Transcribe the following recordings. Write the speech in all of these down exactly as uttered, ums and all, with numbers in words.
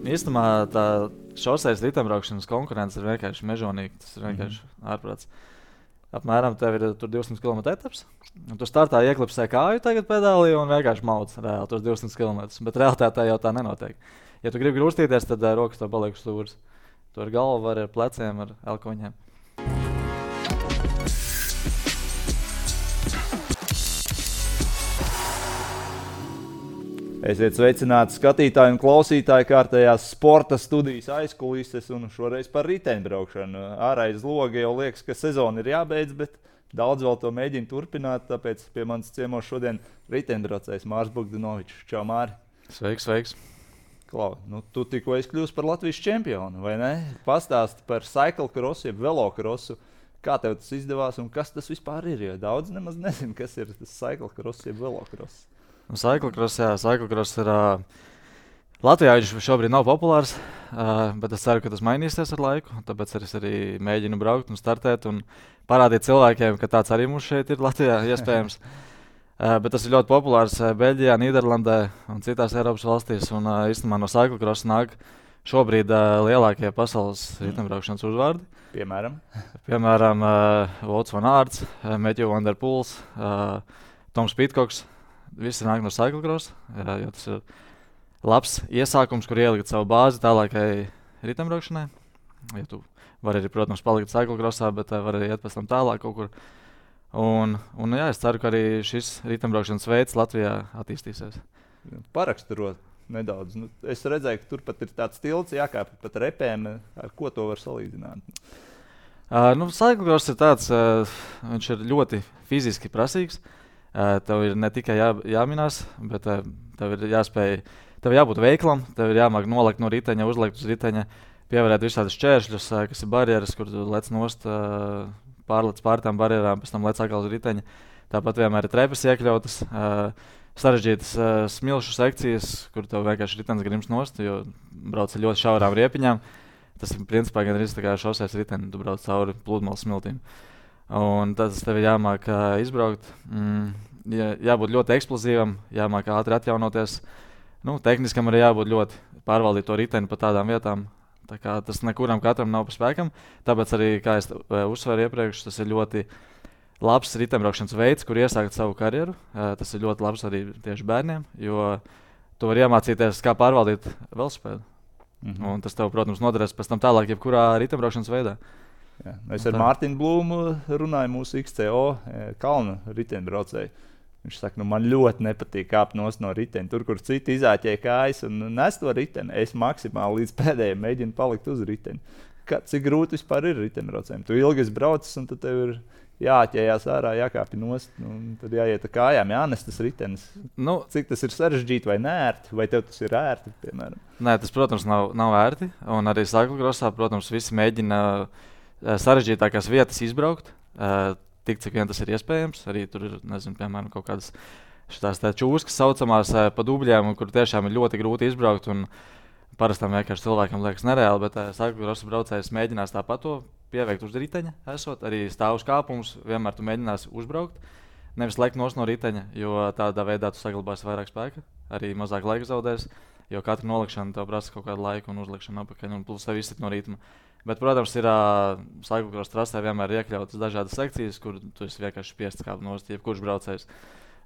īstenībā tā šoseis riteņbraukšanas konkurence ir vienkārši mežonīga. Tas ir vienkārši mm-hmm. ārprāts. Apmēram tev ir tur divsimt kilometru etaps. Tu startā ieklipsē kāju tagad pedālī un vienkārši mauc reāli tos divsimt kilometrus. Bet realitātē jau tā nenotiek. Ja tu gribi grūstīties, tad uh, rokas tev paliek stūris. Tu ar galvu vari, ar pleciem, ar elkoņiem. Esiet sveicināti skatītāji un klausītāji kārtējās sporta studijas aizkulises un šoreiz par riteņbraukšanu. Āraiz loga jau liekas, ka sezona ir jābeidz, bet daudz vēl to mēģina turpināt, tāpēc pie manis ciemos šodien riteņbraucējs Mārs Bogdanovičs. Čau, Māri! Sveiks, sveiks! Klau, nu tu tikko esi kļūst par Latvijas čempionu, vai ne? Pastāsti par cyclocrossu, jeb velocrossu. Kā tev tas izdevās un kas tas vispār ir? Jo daudz nemaz nezinu, kas ir tas cyclocross, jeb velocross. Cyclocross, jā, cyclocross ir uh, Latvijā viņš šobrīd nav populārs, uh, bet es ceru, ka tas mainīsies ar laiku. Tāpēc es arī mēģinu braukt un startēt un parādīt cilvēkiem, ka tāds arī mums šeit ir Latvijā iespējams. uh, bet tas ir ļoti populārs uh, Beļģijā, Nīderlandē un citās Eiropas valstīs. Un uh, īstenībā no cyclocross nāk šobrīd uh, lielākie pasaules riteņbraukšanas uzvārdi. Piemēram? Piemēram, uh, Wout van Aerts, uh, Matthew van der Poels, uh, Toms Pitcocks. Visi nāk no cyclocross, jā, jo tas ir labs iesākums, kur ielikt savu bāzi tālākai riteņbraukšanai. Ja tu vari arī, protams, palikt cyclocrossā, bet uh, vari iet pēc tam tālāk kaut kur. Un, un jā, es ceru, ka arī šis riteņbraukšanas veids Latvijā attīstīsies. Paraksturot nedaudz. Nu, es redzēju, ka tur pat ir tāds tilts jākāpj pat repēm. Ar ko to var salīdzināt? Uh, nu, cyclocross ir tāds, uh, viņš ir ļoti fiziski prasīgs. Uh, tev ir ne tikai jā, jāminās, bet uh, tev ir jāspēj, tev jābūt veiklam, tev ir jāmāk nolikt no riteņa, uzlikt uz riteņa, pievērēt visādus šķēršļus, uh, kas ir barjeras, kur tu lec nost, uh, pārlec pār tām barjerām, pēc tam lec atkal uz riteņa. Tāpat vienmēr ir trepas iekļautas, uh, sarežģītas uh, smilšu sekcijas, kur tev vienkārši ritenis grims nost, jo brauc ar ļoti šaurām riepiņām. Tas ir principā gan arī tā kā šoseis riteni, tu brauc cauri pludmales smiltīm. Un tas tev ir jāmāk uh, izbraukt, mm, jā, jābūt ļoti eksplozīvam, jāmāk ātri atjaunoties. Nu, tehniskam arī jābūt ļoti pārvaldīt to riteni pa tādām vietām. Tā kā tas nekuram katram nav pa spēkam. Tāpēc arī, kā es uh, uzsveru iepriekš, tas ir ļoti labs riteņbraukšanas veids, kur iesākt savu karjeru. Uh, tas ir ļoti labs arī tieši bērniem, jo tu vari iemācīties, kā pārvaldīt velosipēdu. Mm-hmm. Un tas tev, protams, noderēs pēc tam tālāk jebkurā riteņbraukšanas veidā. Jā, es ar Mārtiņu Blūmu runāju mūsu X C O kalnu riteņbraucēju. Viņš saka, nu man ļoti nepatīk kāpt nost no riteņa. Tur, kur citi izāķēja kājas un nes to riteni, es maksimāli līdz pēdējiem mēģinu palikt uz riteņa. Kā, cik grūti vispār ir riteņbraucējiem? Tu ilgi esi braucis un tad tev ir jāķējās ārā, jākāpi nost, un tad jāiet ar kājām, jānes tas ritenis. Nu, cik tas ir sarežģīti vai neērti, vai tev tas ir ērti, piemēram? Nē, tas, protams, nav, nav ērti. Un arī cyclocrossā, protams, visi mēģina sarežģītākās vietas izbraukt, uh, tik cik vien tas ir iespējams. Arī tur ir, nezinu, piemēram, kaut kādas šitās tā čūskas saucamās uh, pa dubļiem, kur tiešām ir ļoti grūti izbraukt. Un parastam vienkārši cilvēkam liekas nereāli, bet uh, cyclocross braucējs mēģinās tāpat to pieveikt uz riteņa, esot arī stāvus kāpums, vienmēr tu mēģinās uzbraukt, nevis lekt nost no riteņa, jo tādā veidā tu saglabāsi vairāk spēka, arī mazāk laika zaudēs, jo katra nolikšana tev prasa kaut kādu laiku un uzlikšanu apakaļ un plus tev izsit no ritma. Bet, protams, ir uh, cyclocross trasē vienmēr iekļautas dažādas sekcijas, kur tu esi vienkārši spiests kāpt nost, jebkurš braucējs.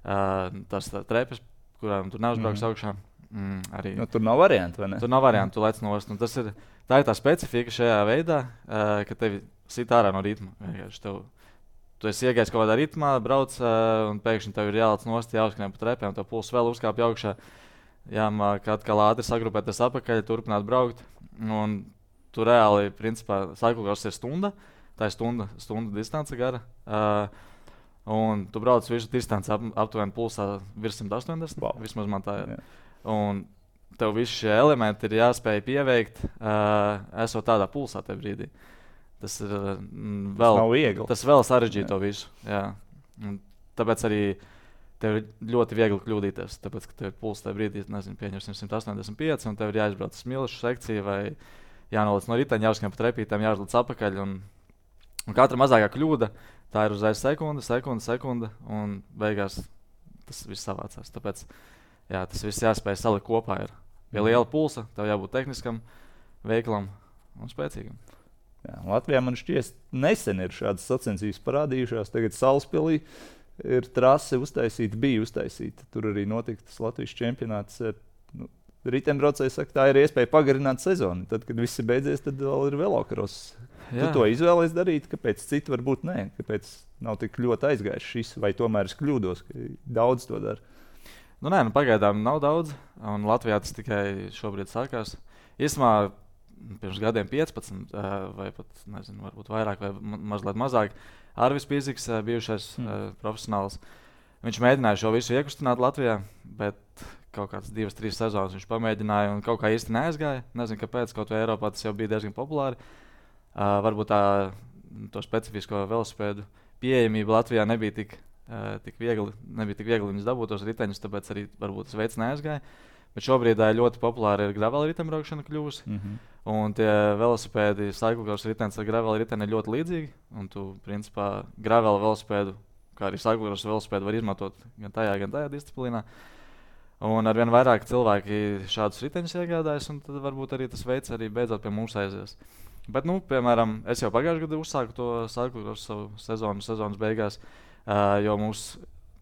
Uh, tas tā trepas, kurām tu neuzbrauks mm-hmm. augšā. Mm, arī. Nu, tur nav variantu, vai ne? Tur nav variantu, tu lec nost. Un tas ir, tā ir tā specifika šajā veidā, uh, ka tevi sit ārā no ritma. Tev, tu esi iegājis kaut kādā ritmā, brauc uh, un pēkšņi tev ir jālec nost, jāuzskrien pa trepēm, tev puls vēl uzkāpj augšā. Jāmāk atkal ātri sagrupēties apakaļ, turpināt braukt. Un tu reāli, principā, cyclocross ir stunda, tā ir stunda, stunda distance gara, uh, un tu brauc visu distanci ap, aptuveni pulsā virs simt astoņdesmit, wow. Vismaz man tā ir. Yeah. Un tev visi šie elementi ir jāspēj pieveikt, uh, esot tādā pulsā tajā brīdī. Tas ir mm, vēl, tas nav viegli. Tas vēl sarežģīja to visu, jā. Un tāpēc arī tev ir ļoti viegli kļūdīties, tāpēc, ka tev ir pulss tajā brīdī, nezinu, pieņemsim simt astoņdesmit pieci, un tev ir jāizbrauc smilšu sekciju vai jānolic no riteņa, jāuzskrien pa trepītēm, jāuzlic apakaļ. Un, un katra mazākā kļūda, tā ir uzreiz sekunde, sekunde, sekunde, un beigās tas viss savācās. Tāpēc jā, tas viss jāspēj salikt kopā. Ir. pie liela pulsa, tev jābūt tehniskam, veiklam un spēcīgam. Jā, Latvijā man šķiet, nesen ir šādas sacensības parādījušās. Tagad Salaspilī ir trase uztaisīta, bija uztaisīta. Tur arī notika tas Latvijas čempionāts. Nu, riteņbraucēji saka, tā ir iespēja pagarināt sezonu. Tad, kad viss ir beidzies, tad vēl ir velokros. Tu to izvēlies darīt, kāpēc citi varbūt nē? Kāpēc nav tik ļoti aizgājis šis, vai tomēr es kļūdos, ka daudz to dara? Nu, nē, nu, pagaidām nav daudz, un Latvijā tas tikai šobrīd sākās. Īsumā pirms gadiem piecpadsmit, vai pat, nezinu, varbūt vairāk vai mazliet mazāk, Arvis Pīziks, bijušais mm. profesionāls, viņš mēģināja šo visu iekustināt Latvijā, bet kaut kāds divas, trīs sezonas viņš pamēģināja un kaut kā īsti neaizgāja. Nezinu, kāpēc, kaut vai Eiropā tas jau bija diezgan populāri. Uh, varbūt tā to specifisko velosipēdu pieejamība Latvijā nebija tik, uh, tik viegli, nebija tik viegli viņus dabūt tos riteņus, tāpēc arī varbūt tas veids neaizgāja. Bet šobrīd uh, ļoti populāri ir gravel riteņbraukšana kļuvusi. Mm-hmm. Un tie velosipēdi, cyclocross ritenis ar gravel riteni ir ļoti līdzīgi. Un tu, principā, gravel velosipēdu, kā arī cyclocross velosipēdu var izmantot gan tajā, gan tajā disciplīnā. Un arvien vairāk cilvēki šādus riteņus iegādājas, un tad varbūt arī tas veids arī beidzot pie mums aizies. Bet, nu, piemēram, es jau pagājušajā gadā uzsāku to cyclocross savu sezonu, sezonas beigās, uh, jo mums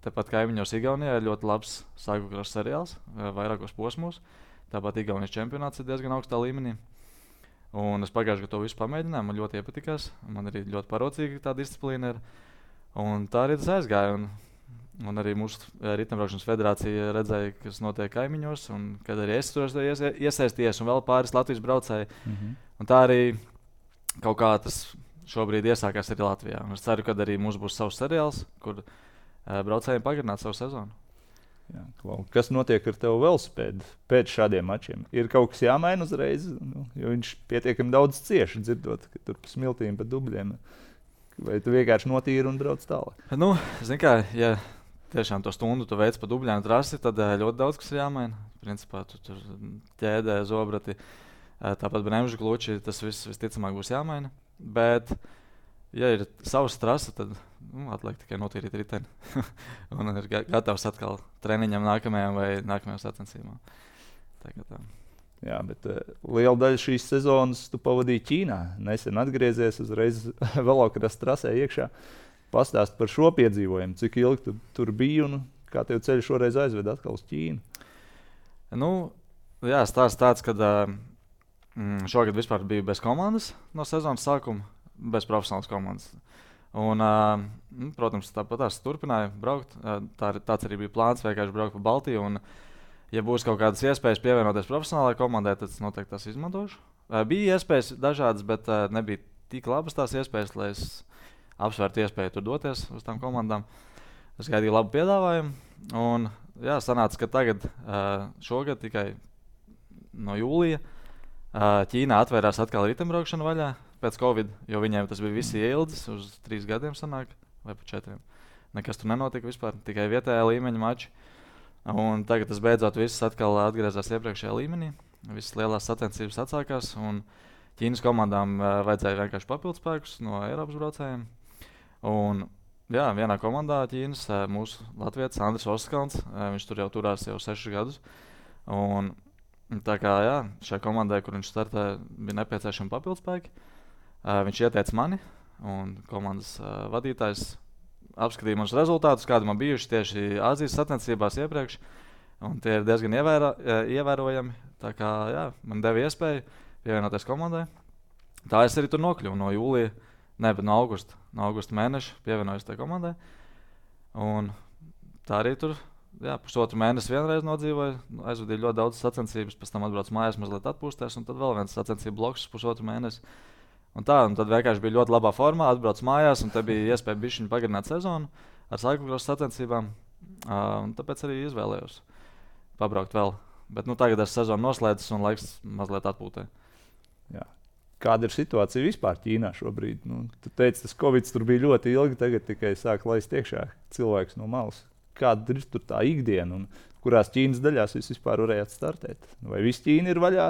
tepat kaimiņos Igaunijā ir ļoti labs cyclocross seriāls, uh, vairākos posmos. Tāpat Igaunijas čempionāts ir diezgan augstā līmenī. Un es pagājušajā gadā to visu pamēģināju, man ļoti iepatikās. Man arī ļoti parocīga tā disciplīna ir. Un tā arī tas aizgāja. Un, un arī mūsu riteņbraukšanas federācija redzēja, kas notiek kaimiņos, un kad arī es tur iesaistījies, un vēl pāris Latvijas braucēji. Mm-hmm. Un tā arī kaut kā tas šobrīd iesākās arī Latvijā. Un es ceru, ka arī mums būs savs seriāls, kur uh, braucējiem pagarināt savu sezonu. Jā, kas notiek ar tevu velosipēdu pēc šādiem mačiem? Ir kaut kas jāmaina uzreiz, nu, jo viņš pietiekami daudz cieši dzirdot, ka tur pa smiltīm, pa dubļiem. Vai tu vienkārši notīri un brauc tālāk? Nu, zin kā, ja tiešām to stundu tu veic pa dubļiem trasi, tad ļoti daudz kas ir jāmaina. Principā tu tur ķēdē, zobrati, tāpat bremžu kluči, tas viss visticamāk būs jāmaina. Bet, ja ir savs trasa, tad nu, atliek tikai notīrīt riteni. Un ir gatavs atkal treniņam nākamajam vai nākamajam sacensībām. Tā. Jā, bet uh, liela daļa šīs sezonas tu pavadīji Ķīnā. Nesen atgriezies uzreiz velokrosa trasē iekšā. Pastāst par šo piedzīvojumu, cik ilgi tu tur biji un kā tev ceļš šoreiz aizved atkal uz Ķīnu? Nu, jā, stāsts tāds, ka uh, šogad vispār biju bez komandas no sezonas sākuma, bez profesionālas komandas. Un, uh, protams, tāpat tās turpināja braukt. Uh, tā, tāds arī bija plāns, vienkārši braukt pa Baltiju. Un, ja būs kaut kādas iespējas pievienoties profesionālajai komandai, tad es noteikti tās izmantošu. Uh, bija iespējas dažādas, bet uh, nebija tik labas tās iespējas, lai es apsvērtu iespēju tur doties uz tām komandām. Es gaidīju labu piedāvājumu. Un, jā, sanāca, ka tagad, uh, šogad tikai no jūlija, uh, Ķīnā atvērās atkal riteņbraukšana vaļā. Pēc Covid, jo viņiem tas bija visi ieldzis, uz trīs gadiem sanāk, vai pa četriem. Nekas tur nenotika vispār, tikai vietējā līmeņa mači. Un tagad tas beidzot viss atkal atgriezās iepriekšējā līmenī. Visas lielās sacensības atsākās, un Ķīnas komandām uh, vajadzēja vienkārši papildspēkus no Eiropas braucējiem. Un, jā, vienā komandā Ķīnas, uh, mūsu latvietis Andris Oskalns, uh, viņš tur jau turās jau sešus gadus. Un tā kā, jā, šai komandai, kur viņš startē, bija nepieciešami papildspēki. Uh, viņš ieteica mani, un komandas uh, vadītājs apskatīja manus rezultātus, kādi man bijuši tieši Āzijas sacensībās iepriekš. Un tie ir diezgan ievērā, ievērojami. Tā kā jā, man deva iespēju pievienoties komandai. Tā es arī tur nokļuvu no jūlija, ne, bet no augusta, no augusta mēneša pievienojos tai komandai. Un tā arī tur jā, pusotru mēnesi vienreiz nodzīvoju, aizvadīju ļoti daudz sacensības, pēc tam atbraucu mājās mazliet atpūsties, un tad vēl viens sacensību bloks pusotru mēnesi. Un tā, un tad vienkārši bija ļoti labā formā, atbraucu mājās, un te bija iespēja bišķiņu pagarināt sezonu ar cyclocross sacensībām, uh, un tāpēc arī izvēlējos pabraukt vēl. Bet nu, tagad es sezonu noslēdzis un laiks mazliet atpūtē. Jā. Kāda ir situācija vispār Ķīnā šobrīd? Nu, tu teici, tas Covid tur bija ļoti ilgi, tagad tikai sāk laist iekšā cilvēks no malas. Kāda ir tur tā ikdiena un kurās Ķīnas daļās jūs vispār varējāt startēt? Vai viss Ķīna ir vaļā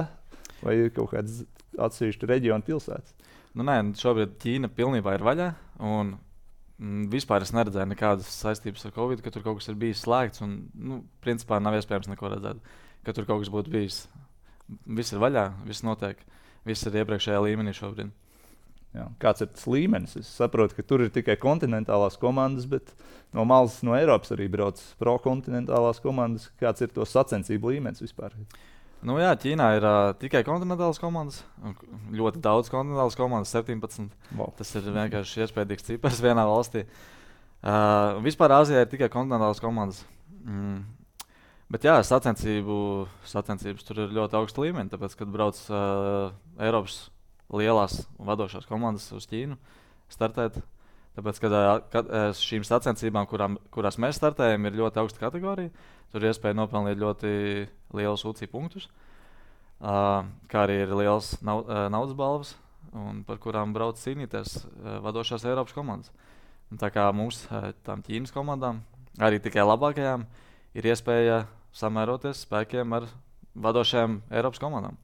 vai ir kaut kāds atsevišķi reģionu pilsētas? Nu, nē, šobrīd Ķīna pilnībā ir vaļā, un mm, vispār es neredzēju nekādas saistības ar Covid, ka tur kaut kas ir bijis slēgts, un, nu, principā nav iespējams neko redzēt, ka tur kaut kas būtu bijis viss ir vaļā, viss notiek, viss ir iepriekšējā līmenī šobrīd. Jā. Kāds ir tas līmenis? Es saprotu, ka tur ir tikai kontinentālās komandas, bet no malas no Eiropas arī brauc pro-kontinentālās komandas. Kāds ir to sacensību līmenis vispār? Nu jā, Ķīnā ir uh, tikai kontinentālas komandas. Ļoti daudz kontinentālas komandas, septiņpadsmit. Wow. Tas ir vienkārši iespējams cipars vienā valstī. Uh, vispār Āzijā ir tikai kontinentālas komandas. Mm. Bet jā, sacensību, sacensības tur ir ļoti augsta līmeņa, tāpēc, kad brauc uh, Eiropas lielās vadošās komandas uz Ķīnu startēt. Tāpēc, kad, kad šīm sacensībām, kurām, kurās mēs startējam, ir ļoti augsta kategorija, tur ir iespēja nopelnīt ļoti lielus U C I punktus, uh, kā arī ir liels nau, uh, naudas balvas, un par kurām brauc cīnīties uh, vadošās Eiropas komandas. Un tā kā mums, uh, tām Ķīnas komandām, arī tikai labākajām, ir iespēja samēroties spēkiem ar vadošajām Eiropas komandām.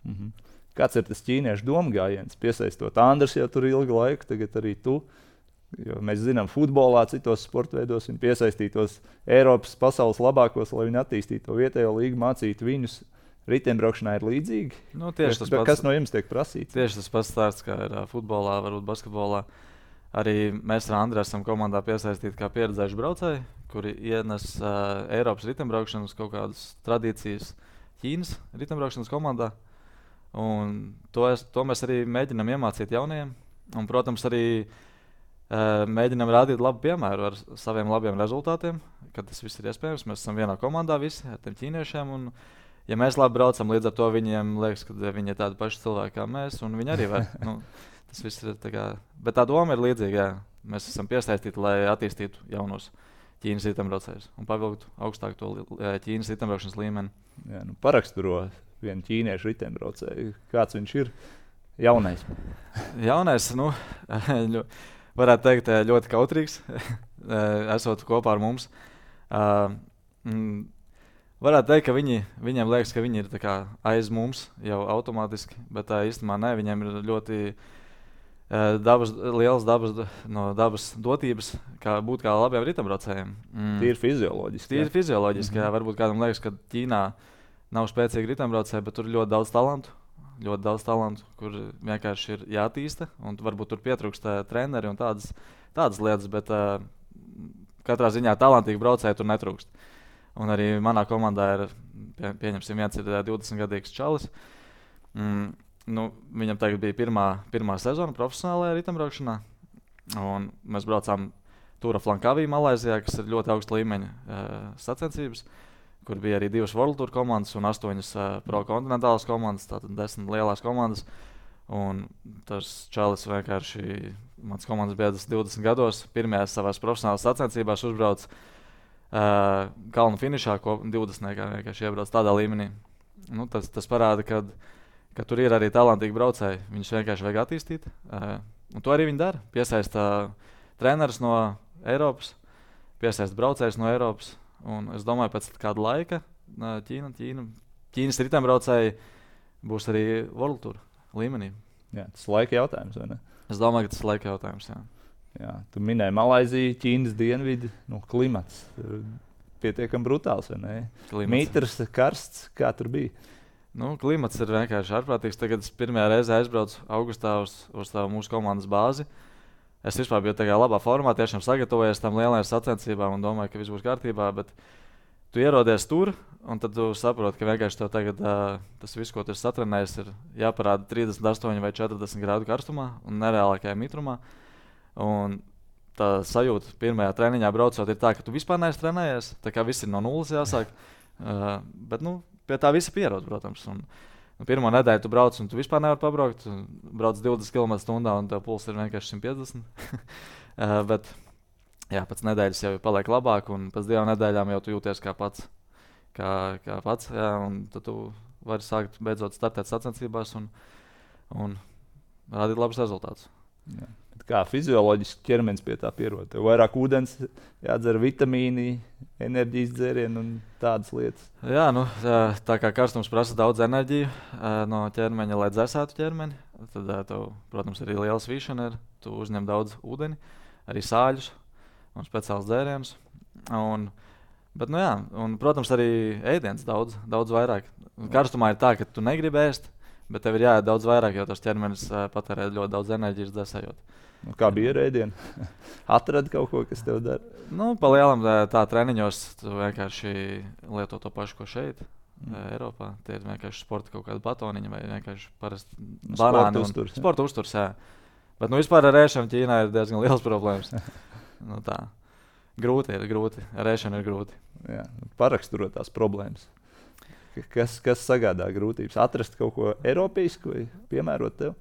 Mhm. Kāds ir tas ķīniešu domgājiens, piesaistot Andrs jau tur ilgu laiku, tagad arī tu. Jo mēs zinām, futbolā, citos sportveidos viņi piesaistītos Eiropas pasaules labākos, lai viņi attīstītu to vietējo līgu, mācītu viņus. Riteņbraukšanā ir līdzīgi. Nu, tieši tas kas, pats, kas no jums tiek prasīts? Tieši tas pats stāsts, kā ir uh, futbolā, varbūt basketbolā. Arī mēs ar Andru esam komandā piesaistīti kā pieredzējuši braucēji, kuri ienes uh, Eiropas riteņbraukšanas kaut kādas tradīcijas Ķīnas riteņbraukšanas komandā. Un to, es, to mēs arī mēģinām iemācīt jaunajiem. Un, protams, arī uh, mēģinām rādīt labu piemēru ar saviem labiem rezultātiem, kad tas viss ir iespējams. Mēs esam vienā komandā visi ar tiem ķīniešiem. Un, ja mēs labi braucam, līdz ar to viņiem liekas, ka viņi ir tādi paši cilvēki kā mēs, un viņi arī var. Nu, tas viss ir tā kā... Bet tā doma ir līdzīga, jā. Mēs esam piesaistīti, lai attīstītu jaunos Ķīnas riteņbraucējus un pavilktu augstāk to Ķīnas riteņbraukšanas līmeni. Jā, nu paraksturo vienu ķīniešu riteņbraucēju. Kāds viņš ir? Jaunais. Jaunais, nu, varētu teikt, ļoti kautrīgs, esot kopā ar mums. Uh, mm, varētu teikt, ka viņi, viņiem liekas, ka viņi ir tā kā aiz mums jau automātiski, bet uh, īstenībā ne, viņiem ir ļoti uh, dabas, liels dabas, no dabas dotības, kā būt kā labiem riteņbraucējiem. Mm. Tīri fizioloģiski. Tīri fizioloģiski, mm-hmm. jā. Varbūt kādam liekas, ka Ķīnā nav spēcīgi riteņbraucēji, bet tur ir ļoti daudz talantu, ļoti daudz talantu, kur vienkārši ir jātīsta, un varbūt tur pietrūkst uh, treneri un tādas, tādas lietas, bet uh, katrā ziņā talantīgi braucēji tur netrūkst. Un arī manā komandā ir, pie, pieņemsim, viens ir divdesmitgadīgs čalis. Mm, nu, viņam tagad bija pirmā, pirmā sezona profesionālajā riteņbraukšanā, un mēs braucām Tūra Flankavī Malaizijā, kas ir ļoti augsta līmeņa uh, sacensības, kur bija arī divas World Tour komandas un astoņas uh, pro-kontinentālas komandas, tātad desmit lielās komandas. Un tas čalis vienkārši, mans komandas biedrs divdesmit gados, pirmajās savās profesionālās sacensībās uzbrauc uh, kalnu finišā, ko divdesmitniekā vienkārši iebrauc tādā līmenī. Nu, tas, tas parāda, ka, ka tur ir arī talantīgi braucēji, viņus vienkārši vajag attīstīt. Uh, un to arī viņi dara, piesaista uh, trenerus no Eiropas, piesaista braucējus no Eiropas. Un es domāju, pēc kāda laika Ķīna, Ķīna, Ķīnas riteņbraucēji būs arī World Tour līmenī. Jā, tas ir laika jautājums, vai ne? Es domāju, ka tas ir laika jautājums, jā. Jā, tu minēji Malaiziju, Ķīnas dienvidi, nu, klimats. Pietiekami brutāls, vai ne? Klimats. Mitrs, karsts, kā tur bija? Nu, klimats ir vienkārši ārprātīgs. Tagad es pirmajā reizē aizbraucu augustā uz, uz tā mūsu komandas bāzi. Es vispār biju tādā labā formā, tiešām sagatavojies tam lielajām sacensībām un domāju, ka viss būs kārtībā, bet tu ierodies tur, un tad tu saproti, ka vienkārši tev tagad uh, tas viss, ko tu esi satrenējis, ir jāparāda trīsdesmit astoņi vai četrdesmit grādu karstumā un nereālākajā mitrumā. Un tā sajūta pirmajā treniņā braucot ir tā, ka tu vispār neesi trenējies, tā kā viss ir no nulles jāsāk, uh, bet nu, pie tā visi pierod, protams. Un, Un pirmā nedēļa tu brauc, un tu vispār nevari pabraukt. Tu brauc divdesmit kilometrus stundā, un tev puls ir vienkārši simt piecdesmit. uh, bet jā, pēc nedēļas jau paliek labāk, un pēc divām nedēļām jau tu jūties kā pats. Kā, kā pats jā, un tad tu vari sākt beidzot startēt sacensībās un, un rādīt labus rezultātus. Jā. Kā fizioloģiski ķermenis pie tā pierod? Tev vairāk ūdens jādzer, vitamīni, enerģijas dzērieni un tādas lietas. Jā, nu, tā kā karstums prasa daudz enerģiju no ķermeņa, lai dzēsētu ķermeni, tad tev, protams, arī liela svīšana ir. Tu uzņem daudz ūdeni, arī sāļus un speciāls dzērienus. Un Bet, nu jā, un, protams, arī ēdiens daudz, daudz vairāk. Karstumā ir tā, ka tu negribi ēst, bet tev ir jāiet daudz vairāk, jo tas ķermenis uh, patērē ļoti daudz enerģijas desējot. Nu, kā bija ar ēdienu? Atradi kaut ko, kas tev dara? Nu, pa lielam tā, tā treniņos tu vienkārši lieto to pašu, ko šeit. Mm. Eiropā. Tie ir vienkārši sporta kaut kāda batoniņa vai vienkārši parasti banāni. Sporta uzturs. Sporta uzturs, jā. Bet nu, vispār ar ēšanu Ķīnā ir diezgan liels problēmas. nu, tā. Grūti ir, grūti. Ar ēšanu ir grūti. Jā, paraksturot tās problēmas. Kas, kas sagādā grūtības? Atrast kaut ko eiropeisku vai piemērot tev?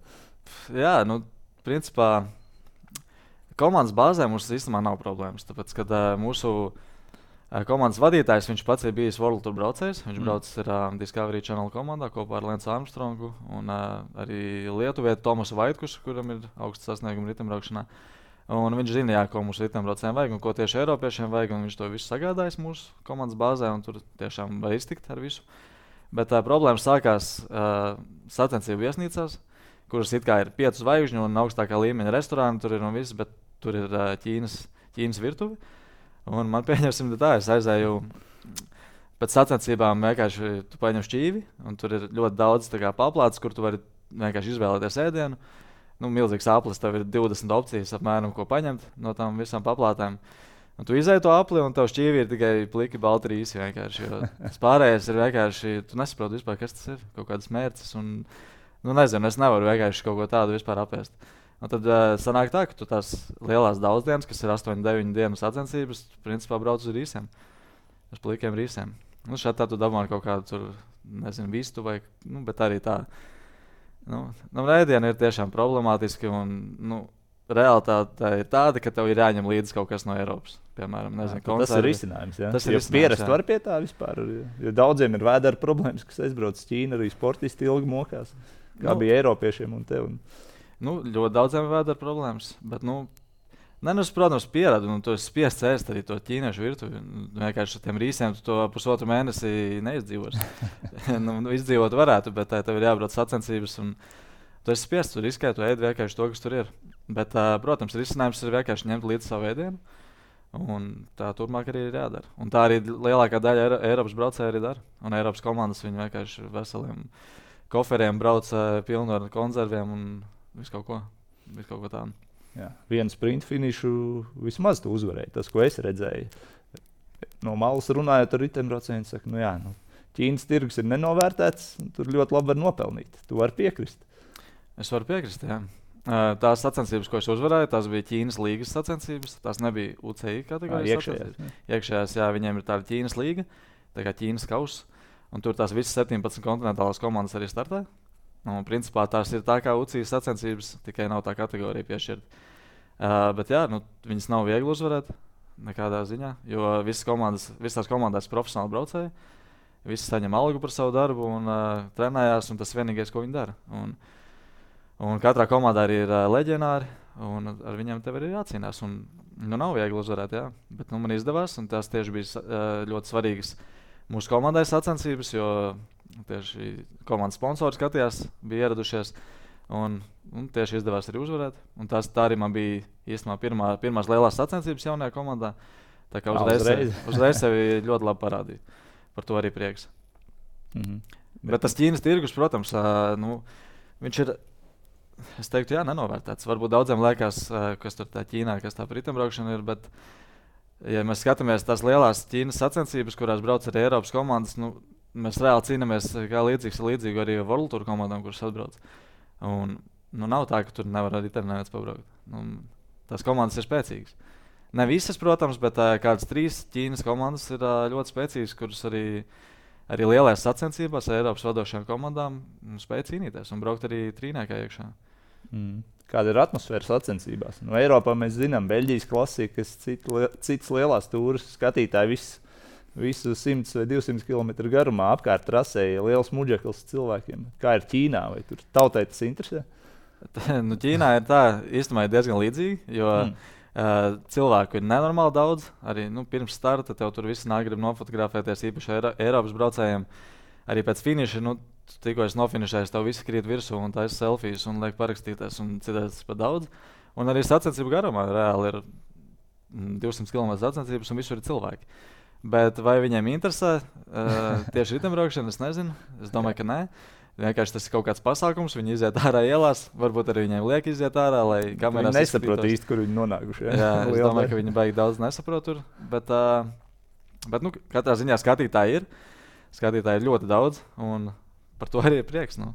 Jā, nu, principā komandas bāzē mums īstenībā nav problēmas. Tāpēc, kad uh, mūsu komandas vadītājs, viņš pats ir bijis World Tour braucējs. Viņš mm. braucis ar uh, Discovery Channel komandā kopā ar Lensu Armstrongu un uh, arī lietuvietu Tomasu Vaitkušu, kuram ir augsts sasniegumi ritembraukšanā. Un viņš zina, jā, ko mūsu ritembraucējiem vajag un ko tieši eiropiešiem vajag. Viņš to visu sagādājis mūsu komandas bāzē un tur tiešām var iztikt ar visu. Bet uh, problēma sākās uh, sacensību viesnīcās, kuras it kā ir piecu zvaigžņu un augstākā līmeņa restorāni tur ir un viss, bet tur ir uh, Ķīnas, Ķīnas virtuve. Un man pieņemsim tā, es aizēju pēc sacensībām vienkārši tu paņem šķīvi, un tur ir ļoti daudz tā kā paplātes, kur tu vari vienkārši izvēlēties ēdienu. Nu, milzīgs aplis, tev ir divdesmit opcijas apmēram, ko paņemt no tām visām paplātēm. Un tu izēji to apli, un tev šķīvi ir tikai pliki balti rīsi vienkārši, jo tas pārējais ir vienkārši, tu nesaproti vispār, kas tas ir, kaut kādas mērces, un, nu nezinu, es nevaru vienkārši kaut ko tādu vispār apēst. Un tad uh, sanāk tā, ka tu tās lielās daudzdienas, kas ir astoņu deviņu dienu sacensības, principā brauc uz rīsiem, uz plikiem rīsiem. Nu, šādi tā tu dabūji kaut kādu tur, nezinu, vistu vai, nu, bet arī tā. Nu, nu ēdiena ir tiešām problemātiski un, nu, realitāte ir tāda, ka tev ir jāņem līdzi kaut kas no Eiropas. Piemēram, nezinu, jā, tas ir risinājums, jā. Tas ir risinājums, pierast var pie tā vispār, jo daudziem ir vēdera problēmas, kas aizbrauc uz Ķīnu, arī sportisti ilgi mokās, kā nu, bija eiropiešiem un tev. Un... Nu, ļoti daudziem ir vēdera problēmas, bet, nu, ne, nu, es, protams, pieradu, un tu esi spiests ēst arī to ķīniešu virtuvi. Vienkārši ar tiem rīsiem tu to pusotru mēnesi neizdzīvosi. nu, nu, izdzīvot varētu, bet tā, tev ir jābrauc sacensības, un tu esi spiests, tu riskē, tu ēd vienkārši to, kas tur ir. Bet, uh, protams, risinājums ir vienkārši ņemt līdzi savu ēdienu, un tā turpmāk arī ir jādara. Un tā arī lielākā daļa Eiro, Eiropas braucēja arī dara, un Eiropas komandas viņi vienkārši veseliem koferiem brauc uh, pilnu ar konzerviem un visu kaut ko, visu kaut ko tādu. Jā, vienu sprintu finišu vismaz tu uzvarēji. Tas, ko es redzēju, no malas runājot ar ritembraucējiem, saka, nu jā, nu, Ķīnas tirgus ir nenovērtēts, tur ļoti labi var nopelnīt. Tu vari piekrist. Es varu piekrist, jā. Tās sacensības, ko es uzvarēju, tās bija Ķīnas līgas sacensības. Tās nebija U C I kategorijas sacensības. Iekšējās, jā, viņiem ir tāda Ķīnas līga, tā kā Ķīnas kauss, un tur tās visas septiņpadsmit kontinentālās komandas arī startē. Un, principā tās ir tā kā U C I sacensības, tikai nav tā kategorija piešķirta. Uh, bet jā, nu, viņas nav viegli uzvarēt nekādā ziņā, jo visas komandas, visas tās komandās profesionāli braucēji, visi saņem algu par savu darbu un uh, trenējās, un tas vienīgais, ko viņi dara. Un, un katrā komandā arī ir uh, leģionāri, un ar viņiem tev arī jācīnās. Un, nu, nav viegli uzvarēt, jā, bet nu, man izdevās, un tās tieši bija uh, ļoti svarīgas mūsu komandai sacensības, jo tieši komandas sponsori skatījās, bija ieradušies, un, un tieši izdevās arī uzvarēt. Un tās, tā arī man bija īstenībā pirmā, pirmās lielās sacensības jaunajā komandā. Tā kā uzreiz, uzreiz. uzreiz sevi ļoti labi parādīja. Par to arī prieks. Mm-hmm. Bet, Bet tas Ķīnas tirgus, protams, uh, nu, viņš ir, es teiktu, jā, nenovērtēts. Varbūt daudziem liekas, uh, kas tur tā Ķīnā, kas tā par ritembraukšana ir, bet, ja mēs skatāmies tās lielās Ķīnas sacensības, kurās brauc arī Eiropas komandas, nu, mēs reāli cīnāmies kā līdzīgs ar līdzīgu arī World Tour komandām, kuras atbrauc. Un, nu, nav tā, ka tur nevar arī neviens pabraukt. Nu, tās komandas ir spēcīgas. Ne visas, protams, bet uh, kādas trīs Ķīnas komandas ir uh, ļoti spēcīgas, kuras arī, arī lielajās sacensībās ar Eiropas vadošajām komandām spēj cīnīties un braukt arī trīniekā iekšā. Mm. Kāda ir atmosfēra sacensībās? No Eiropā mēs zinām, Beļģijas klasika, kas cita, citas lielās tūras skatītāji viss. Visu simts vai divsimt kilometru garumā apkārt trasēja liels muģeklis cilvēkiem. Kā ir Ķīnā? Vai tur tautai tas interesē? nu, Ķīnā ir tā, īstenībā ir diezgan līdzīgi, jo mm. uh, cilvēku ir nenormāli daudz. Arī nu, pirms starta tev tur visi nāk grib nofotografēties, īpaši Eiro, Eiropas braucējiem. Arī pēc finiša, nu, tikko es nofinišēju, tev visi krīt virsū un taisa selfijas un liek parakstīties un citās tas par daudz. Un arī sacensību garumā reāli ir divsimt kilometru sacensības un visur ir cilvēki. Bet vai viņiem interesē uh, tieši riteņbraukšana, es nezinu. Es domāju, ka nē. Vienkārši tas ir kaut kāds pasākums, viņi iziet ārā ielās, varbūt arī viņiem liek iziet ārā, lai kamerās viņi nesaprot īsti, kur viņi nonākuši. Jā, jā es domāju, ka viņi baigi daudz nesaprot tur, bet, uh, bet nu, katrā ziņā skatītāji ir, skatītāji ir ļoti daudz, un par to arī ir prieks. Nu.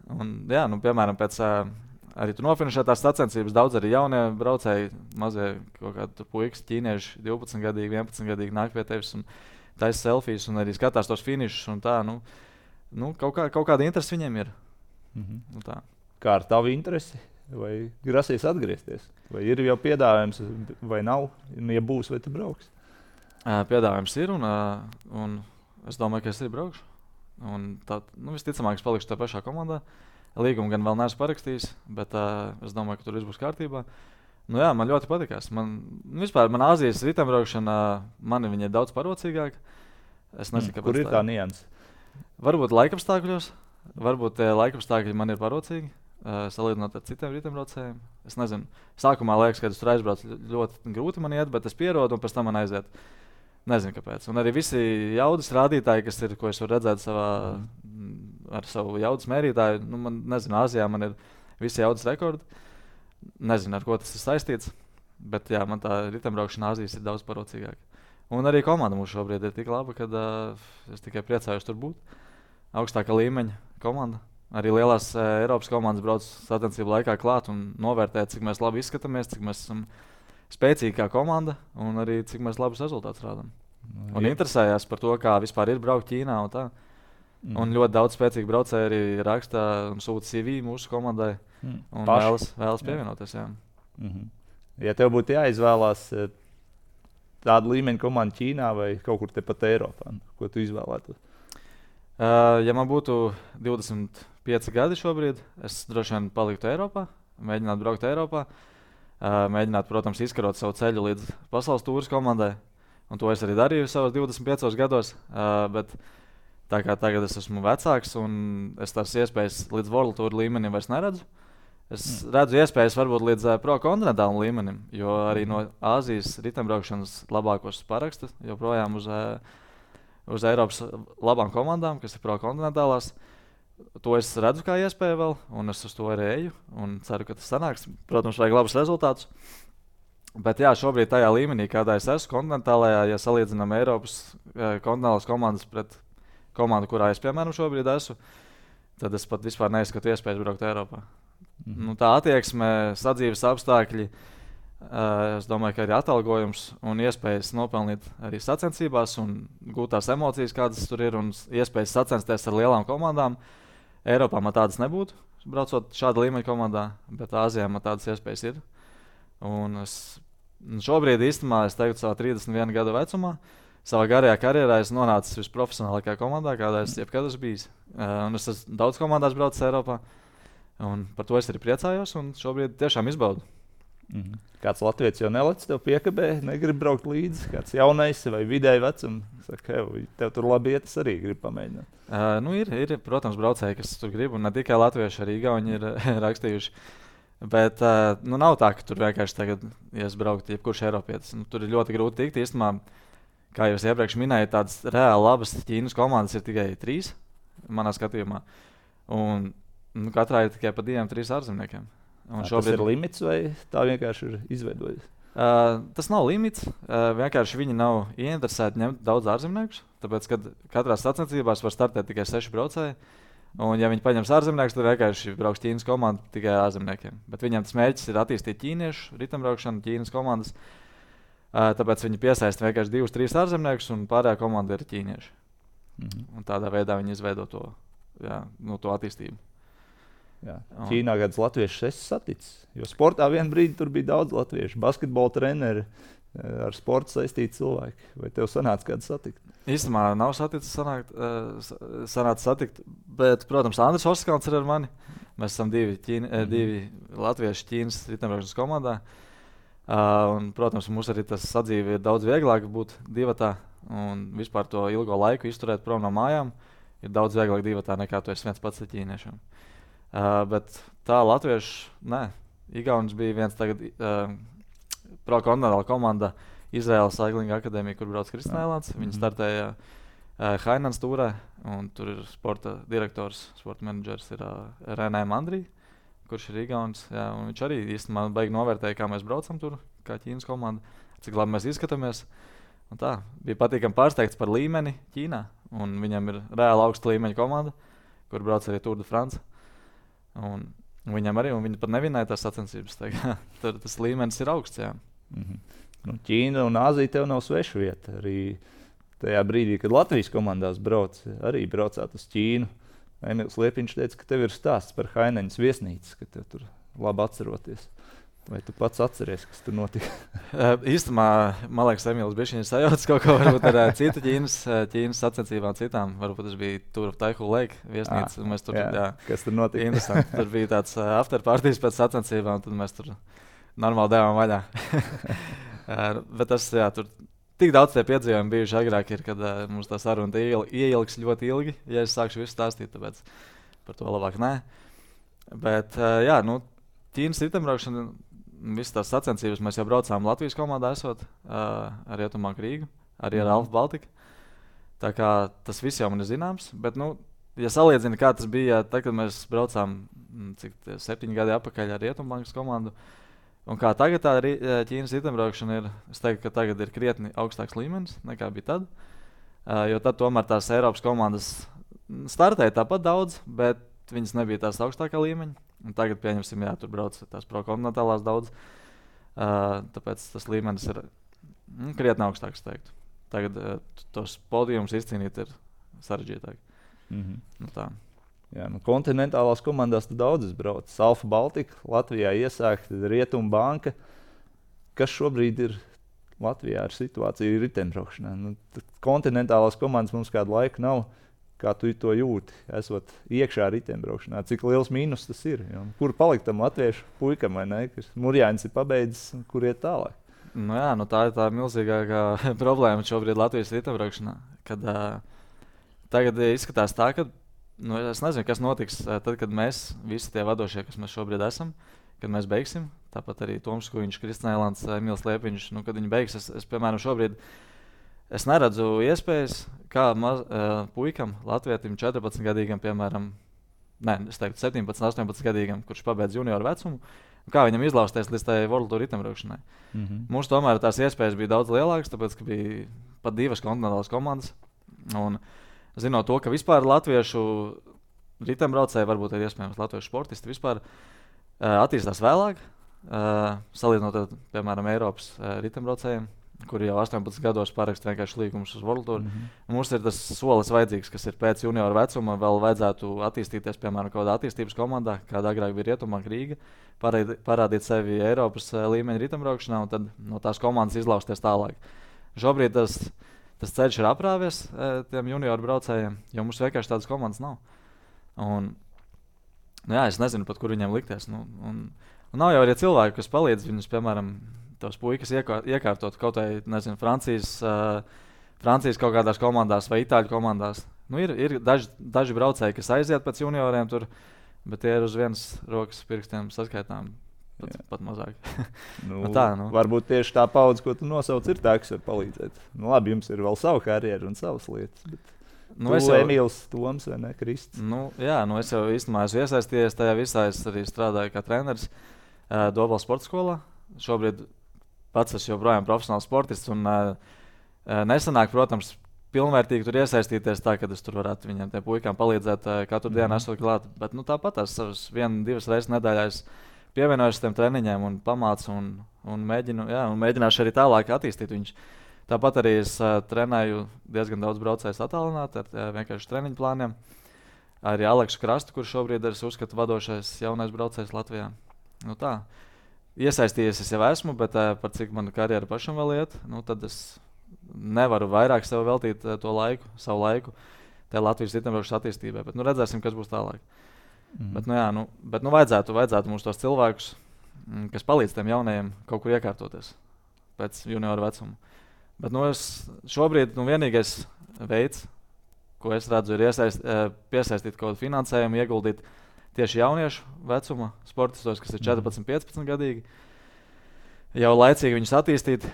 Un, jā, nu, piemēram, pēc uh, arī tu nofinišētās sacensības daudz arī jaunie braucēji, mazie kaut kādi puikas, ķīnieši, divpadsmit gadīgi, vienpadsmit gadīgi nāk pie tevis un taisa selfijas un arī skatās tos finišus un tā, nu, Nu, kaut, kā, kaut kāda interese viņiem ir. Mm-hmm. Nu, tā. Kā ar tavu interesi? Vai grasies atgriezties? Vai ir jau piedāvājums, vai nav? Ja būs, vai tu brauks? Uh, piedāvājums ir, un, uh, un es domāju, ka es arī braukšu. Un tā, nu, visticamāk, es palikšu tajā pašā komandā. Līgumu gan vēl neesmu parakstījis, bet uh, es domāju, ka tur viss būs kārtībā. Nu, jā, man ļoti patīkās. Man, nu, vispār man Āzijas riteņbraukšana, man viņa ir daudz parocīgāka. Es nezinu, mm, kur ir tā nianse? Varbūt laikapstākļos, varbūt tie laikapstākļi man ir parocīgi, uh, salīdzinot ar citiem riteņbraucējiem. Es nezinu, sākumā liekas, ka es tur aizbraucu ļoti grūti man iet, bet es pierodu un pēc tam man aiziet. Nezinu, kāpēc. Un arī visi jaudas rādītāji, kas ir, ko es varu redzēt savā, ar savu jaudas mērītāju, nu, man, nezinu, Āzijā man ir visi jaudas rekordi. Nezinu, ar ko tas ir saistīts, bet jā, man tā riteņbraukšana Āzijas ir daudz parocīgāka. Un arī komanda mums šobrīd ir tik laba, ka uh, es tikai priecājos tur būt. Augstākā līmeņa komanda. Arī lielās uh, Eiropas komandas brauc sacensību laikā klāt un novērtē, cik mēs labi izskatāmies, cik mēs esam spēcīgi kā komanda un arī cik mēs labus rezultātus rādām. No, un interesējās par to, kā vispār ir braukt Ķīnā un tā. Mm. Un ļoti daudz spēcīgi braucēji arī raksta un sūta C V mūsu komandai mm. un Paši. vēlas, vēlas pievienoties. Jā. Mm-hmm. Ja tev būtu jāizvēlās tāda līmeņa komanda Ķīnā vai kaut kur tepat Eiropā, ko tu izvēlētos? Uh, ja man būtu divdesmit pieci gadi šobrīd, es droši vien paliktu Eiropā, mēģinātu braukt Eiropā, uh, mēģinātu, protams, izkarot savu ceļu līdz pasaules tūras komandai, un to es arī darīju savos divdesmit piecos gados, uh, bet tā kā tagad es esmu vecāks un es tās iespējas līdz World Tour līmenim vairs neredzu, es mm. redzu iespējas varbūt līdz uh, pro-kontinentālam līmenim, jo arī no Āzijas riteņbraukšanas labākos paraksta joprojām uz, uh, uz Eiropas labām komandām, kas ir pro-kontinentālās. To es redzu kā iespēju vēl, un es uz to arī eju, un ceru, ka tas sanāks. Protams, vajag labus rezultātus. Bet jā, šobrīd tajā līmenī, kādā es esmu kontinentālajā, ja salīdzinām Eiropas uh, kontinentālās komandas pret komandu, kurā es, piemēram, šobrīd esmu, tad es pat vispār neizskatu iespējas braukt Eiropā. Mm-hmm. Nu, tā attieksme, sadzīves apstākļi, uh, es domāju, ka arī atalgojums un iespējas nopelnīt arī sacensībās un gūt tās emocijas, kādas tur ir, un iespējas sacensties ar lielām komandām. Eiropā man tādas nebūtu, braucot šāda līmeņa komandā, bet Āzijā man tādas iespējas ir. Un es šobrīd īstenībā, es teiktu, savā trīsdesmit viena gada vecumā, savā garajā karjerā es nonācu visprofesionālākajā komandā, kādā es jebkad esmu bijis. Uh, un es esmu daudz komandās braucis Eiropā. Un par to es arī priecājos un šobrīd tiešām izbaudu. Mm-hmm. Kāds Latvijas jau nelec tev piekabē, negrib braukt līdzi, kāds jaunais vai vidēji vecums. Saka, hei, tev tur labi iet, es arī gribu pamēģināt. Uh, nu ir, ir, protams, braucēji, kas tur grib, un ne tikai latvieši, arī igauni ir rakstījuši. Bet uh, nu nav tā, ka tur vienkārši tagad, ja es brauktu jebkurš Eiropietis, nu, tur ir ļoti grūti tikt. Īstenībā, kā jau es iepriekš minēju, tādas reāli labas Ķīnas komandas ir tikai trīs manā skatījumā. Un Nu, katrā ir tikai pa diviem, trīs ārzemniekiem. Un šobrīd... Tas ir limits vai tā vienkārši ir izveidojis? Uh, tas nav limits. Uh, vienkārši viņi nav ieinteresēti ņemt daudz ārzemniekus. Tāpēc, kad katrā sacensībās var startēt tikai seši braucēji. Un, ja viņi paņems ārzemniekus, tad vienkārši brauks Ķīnas komanda tikai ārzemniekiem. Bet viņiem tas mērķis ir attīstīt ķīniešu riteņbraukšanu, Ķīnas komandas. Uh, tāpēc viņi piesaista vienkārši divus, trīs ārzemniekus un pārējā komanda ir ķīnieši. Mm-hmm. Un tādā veidā viņi izveido to, jā, no to attīstību. Jā. Ķīnā gadus latviešus es saticis, jo sportā vienā brīdī tur bija daudz latviešu, basketbola treneri, ar sportu saistīti cilvēki. Vai tev sanāca kādu satikt? Īstenībā nav saticis sanākt, sanāca satikt, bet, protams, Andris Oskāns ir ar mani. Mēs esam divi, ķīni, mm. divi latvieši Ķīnas riteņbraukšanas komandā. Uh, un, protams, mums arī tas sadzīve ir daudz vieglāk būt divatā un vispār to ilgo laiku izturēt prom no mājām. Ir daudz vieglāk divatā nekā tu esi viens pats ar ķīniešiem. Uh, bet tā latviešu, nē, Igaunis bija viens tagad uh, pro-kontinentāla komanda Izraēlas Cycling Akadēmija, kur brauc Kristina Eilants. Viņa startēja uh, Hainans Tūrē, un tur ir sporta direktors, sporta menedžers ir uh, Renē Mandrī, kurš ir Igauns. Jā, viņš arī īstenībā baigi novērtēja, kā mēs braucam tur, kā Ķīnas komanda, cik labi mēs izskatāmies. Un tā, bija patīkami pārsteigts par līmeni Ķīnā, un viņam ir reāli augsta līmeņa komanda, kur brauc arī Tour de France. Un viņam arī, un viņi pat nevinēja tās sacensības. Tur tas līmenis ir augsts, jā. Mm-hmm. Nu, Ķīna un Āzija tev nav sveša vieta. Arī tajā brīdī, kad Latvijas komandās brauc, arī braucāt uz Ķīnu. Emīls Liepiņš teica, ka tev ir stāsts par Haineņas viesnīcas, ka tev tur labi atceroties. Vai tu pats atceries, kas tur notika? Īstumā, man liekas, Emīls bišķiņš sajauts kaut ko varbūt ar citu Ķīnas, Ķīnas sacensībām citām. Varbūt tas bija Tour of Taihu Lake viesnīca. À, tur, jā, jā. Kas tur notika? Interesanti. Tur bija tāds afterpartijas pēc sacensībām, un tad mēs tur normāli devām vaļā. Bet tas, jā, tur tik daudz tie piedzīvojumi bijuši agrāk, ir, kad uh, mums tā saruna ieilgs ļoti ilgi, ja es sākšu visu stāstīt, tāpēc par to labāk nē. Bet, uh, jā, nu, Ķīnas ritembraukšana, visas tās sacensības mēs jau braucām Latvijas komandā esot, uh, ar Rietumbanku Rīgu, arī ar Alfa Baltiku. Tā kā tas viss jau man ir zināms, bet, nu, ja salīdzina, kā tas bija, tad, kad mēs braucām, cik septiņi gadi atpakaļ ar Rietumbankas komandu, un kā tagad tā Ķīnas ritembraukšana ir, es teiktu, ka tagad ir krietni augstāks līmenis nekā bija tad. Uh, jo tad tomēr tās Eiropas komandas startēja tāpat daudz, bet viņas nebija tās augstākā līmeņa. Un tagad, pieņemsim, jā, tur brauc tās prokontinentālās daudz. Uh, tāpēc tas līmenis ir mm, krietni augstāks, teiktu. Tagad uh, tos podiumus izcīnīt ir sarežģītāk. Mm-hmm. Nu, tā. Jā, nu, kontinentālās komandās tu daudzas brauc. Alfa Baltika, Latvijā iesākta Rietumbanka. Kas šobrīd ir Latvijā ar situāciju ritembraukšanā? Nu, kontinentālās komandas mums kādu laiku nav. Kā tu to jūti, esot iekšā ritembraukšanā? Cik liels mīnus tas ir? Jo, kur palikt tam latviešu puikam, vai ne? Kas Murjānis ir pabeidzis, kur iet tālāk? Nu jā, nu tā ir tā milzīgākā problēma šobrīd Latvijas ritembraukšanā. Kad uh, tagad izskatās tā, ka nu, es nezinu, kas notiks tad, kad mēs, visi tie vadošie, kas mēs šobrīd esam, kad mēs beigsim. Tāpat arī Toms Kuiņš, Kristina Eilants, Emīls Liepiņš, nu, kad viņi beigs, es, es piemēram, šobrīd es neredzu iespējas, kā maz, uh, puikam, latvietim, četrpadsmitgadīgam, piemēram, ne, es teiktu septiņpadsmit, astoņpadsmitgadīgam, kurš pabeidz junioru vecumu, kā viņam izlausties līdz tai World Tour ritembraukšanai. Mm-hmm. Mums tomēr tās iespējas bija daudz lielākas, tāpēc, ka bija pat divas kontinentālas komandas. Un, zinot to, ka vispār latviešu ritembraucēji, varbūt ir iespējams latviešu sportisti, vispār uh, attīstās vēlāk, uh, salīdzinot, piemēram, Eiropas uh, ritembraucējiem, kuri jau astoņpadsmit gados parakst vienkārši līgumus uz World Tour. Mm-hmm. Mums ir tas solis vajadzīgs, kas ir pēc junioru vecuma, vēl vajadzētu attīstīties, piemēram, kaut kādā attīstības komandā, kāda agrāk bija Rietumbanka Rīga, parādīt, parādīt sevi Eiropas uh, līmeņa ritembraukšanā un tad no tās komandas izlausties tālāk. Šobrīd tas Tas ceļš ir aprāvies e, tiem junioru braucējiem, jo mums vienkārši tādas komandas nav. Un, nu jā, es nezinu pat, kur viņiem likties. Nu, un, un nav jau arī cilvēki, kas palīdz viņus, piemēram, tos puikas iekār, iekārtot kaut vai, nezinu, Francijas, uh, Francijas kaut kādās komandās vai Itāļu komandās. Nu, ir ir daži, daži braucēji, kas aiziet pēc junioriem tur, bet tie ir uz vienas rokas pirkstiem saskaitām. Pat, pat mazāk. nu, nu tā, nu. Varbūt tieši tā paudze, ko tu nosauc, ir tā, kas var palīdzēt. Nu, labi, jums ir vēl savu karjeru un savas lietas. Bet nu, tu, es jau Emīls, Toms vai ne, Kristis? Nu, jā, nu es jau īstenībā esmu iesaistījies tajā visā. Es arī strādāju kā treneris uh, Dobeles sporta skolā. Šobrīd pats esmu joprojām profesionāls sportists. Un, uh, nesanāk, protams, pilnvērtīgi tur iesaistīties tā, ka es tur varētu viņiem tiem puikām palīdzēt uh, katru mm. dienu esot klāt. Bet nu, tāpat tās savas vienu, divas reizes nedēļā es pievienojos tiem treniņiem un pamācu un, un, mēģinu, jā, un mēģināšu arī tālāk attīstīt viņus. Tāpat arī es uh, trenēju diezgan daudz braucējus attālināt ar uh, vienkārši treniņu plāniem. Arī Aleksu Krastu, kurš šobrīd ir uzskatu vadošais jaunais braucējs Latvijā. Nu tā, iesaistījies es jau esmu, bet uh, par cik mana karjera pašam vēl iet, nu tad es nevaru vairāk sev veltīt uh, to laiku, savu laiku tajā Latvijas ritembraukšanas attīstībai, bet nu redzēsim, kas būs tālāk. Mm. Bet, nu, jā, nu, bet nu, vajadzētu, vajadzētu mums tos cilvēkus, m, kas palīdz tiem jaunajiem kaut kur iekārtoties pēc junioru vecuma. Bet nu, es šobrīd nu, vienīgais veids, ko es redzu, ir iesaist, piesaistīt kaut kādu finansējumu, ieguldīt tieši jauniešu vecuma sportistos, kas ir četrpadsmit, piecpadsmit gadīgi. Jau laicīgi viņus attīstīt,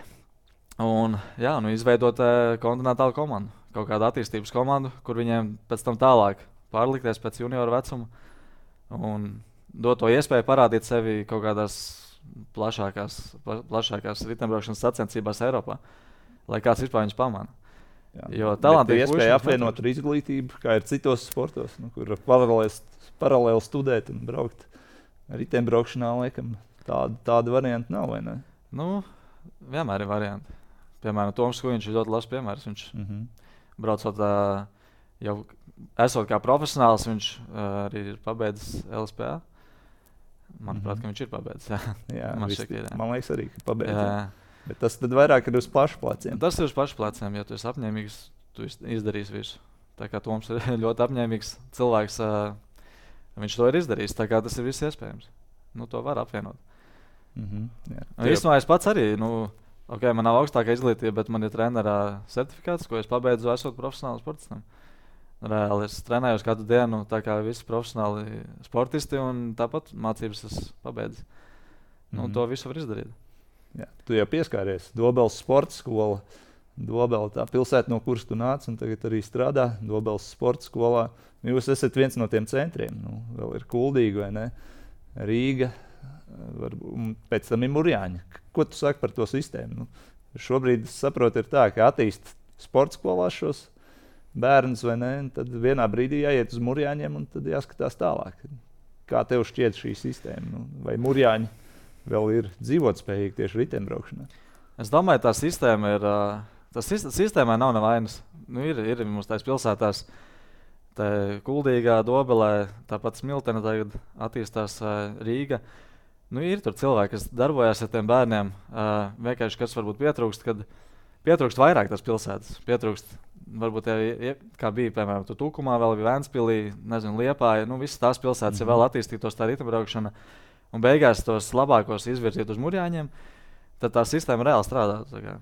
Un, jā, nu, izveidot uh, kontinentālu komandu, kaut kādu attīstības komandu, kur viņiem pēc tam tālāk pārlikties pēc junioru vecuma un dot to iespēju parādīt sevi kaut kādās plašākās, pla, plašākās riteņbraukšanas sacensībās Eiropā, lai kāds vispār viņus pamana. Jā. Jo talantīgi ir iespēja apvienot ar izglītību, kā ir citos sportos, nu, kur paralēli, paralēli studēt un braukt. Riteņbraukšanā, laikam, tāda, tāda varianta nav, vai ne? Nu, vienmēr ir varianti. Piemēram, Toms Kujiņš ir ļoti labs piemērs. Viņš Mm-hmm. braucot, uh, jau esot kā profesionāls, viņš uh, arī ir pabeidzis L S P A. Manuprāt, Mhm. ka viņš ir pabeidzis. Jā, Jā, Man viss- šķiet, jā. man liekas arī, ka pabeidz. jā. Bet tas tad vairāk ir uz pašu pleciem. Tas ir uz pašu pleciem, ja tu esi apņēmīgs, tu iz- izdarīsi visu. Tā kā Toms ir ļoti apņēmīgs cilvēks, uh, viņš to ir izdarījis, tā kā tas ir viss iespējams. Nu, to var apvienot. Mm-hmm. Jā. Nu, īstenībā es pats arī, nu, ok, man nav augstākā izglītība, bet man ir trenerā certifikāts, ko es pabeidzu esot profesionāls sportistam. Reāli es trenējos katru dienu, tā kā visi profesionāli sportisti, un tāpat mācības es pabeidzu. Nu, Mhm. to visu var izdarīt. Jā. Tu jau pieskāries Dobeles sporta skola. Dobela, tā pilsēta, no kuras tu nāc, un tagad arī strādā Dobeles sporta skolā. Jūs esat viens no tiem centriem. Nu, vēl ir Kuldīga, vai ne? Rīga, varbūt, un pēc tam ir Murjāņa. Ko tu saki par to sistēmu? Nu, šobrīd, es saprotu, ir tā, ka attīst sporta skolās šos bērnus, vai ne? Un tad vienā brīdī jāiet uz Murjāņiem, un tad jāskatās tālāk. Kā tev šķiet šī sistēma? Nu, vai Murjāņi vēl ir dzīvotspējīgi tieši riteņbraukšanā? Es domāju, tā sistēma ir. ā, Tas sis- sistēmai nav nevainas. Nu, ir, ir mums tās pilsētās, tā Kuldīgā, Dobelē, tāpat Smiltene tagad attīstās ā, Rīga. Nu, ir tur cilvēki, kas darbojas ar tiem bērniem. ā, Vienkārši kas varbūt pietrūkst, kad pietrūkst vairāk tās pilsētas. Pietrūkst, varbūt, ja, ja, kā bija, piemēram, tu Tukumā, vēl bija Ventspilī, nezinu, Liepāja. Nu, visas tās pilsētas, ja Mhm. vēl attīstītos tā riteņbraukšana un beigās tos labākos izvirzīt uz Murjāņiem, tad tā sistēma reāli strādā.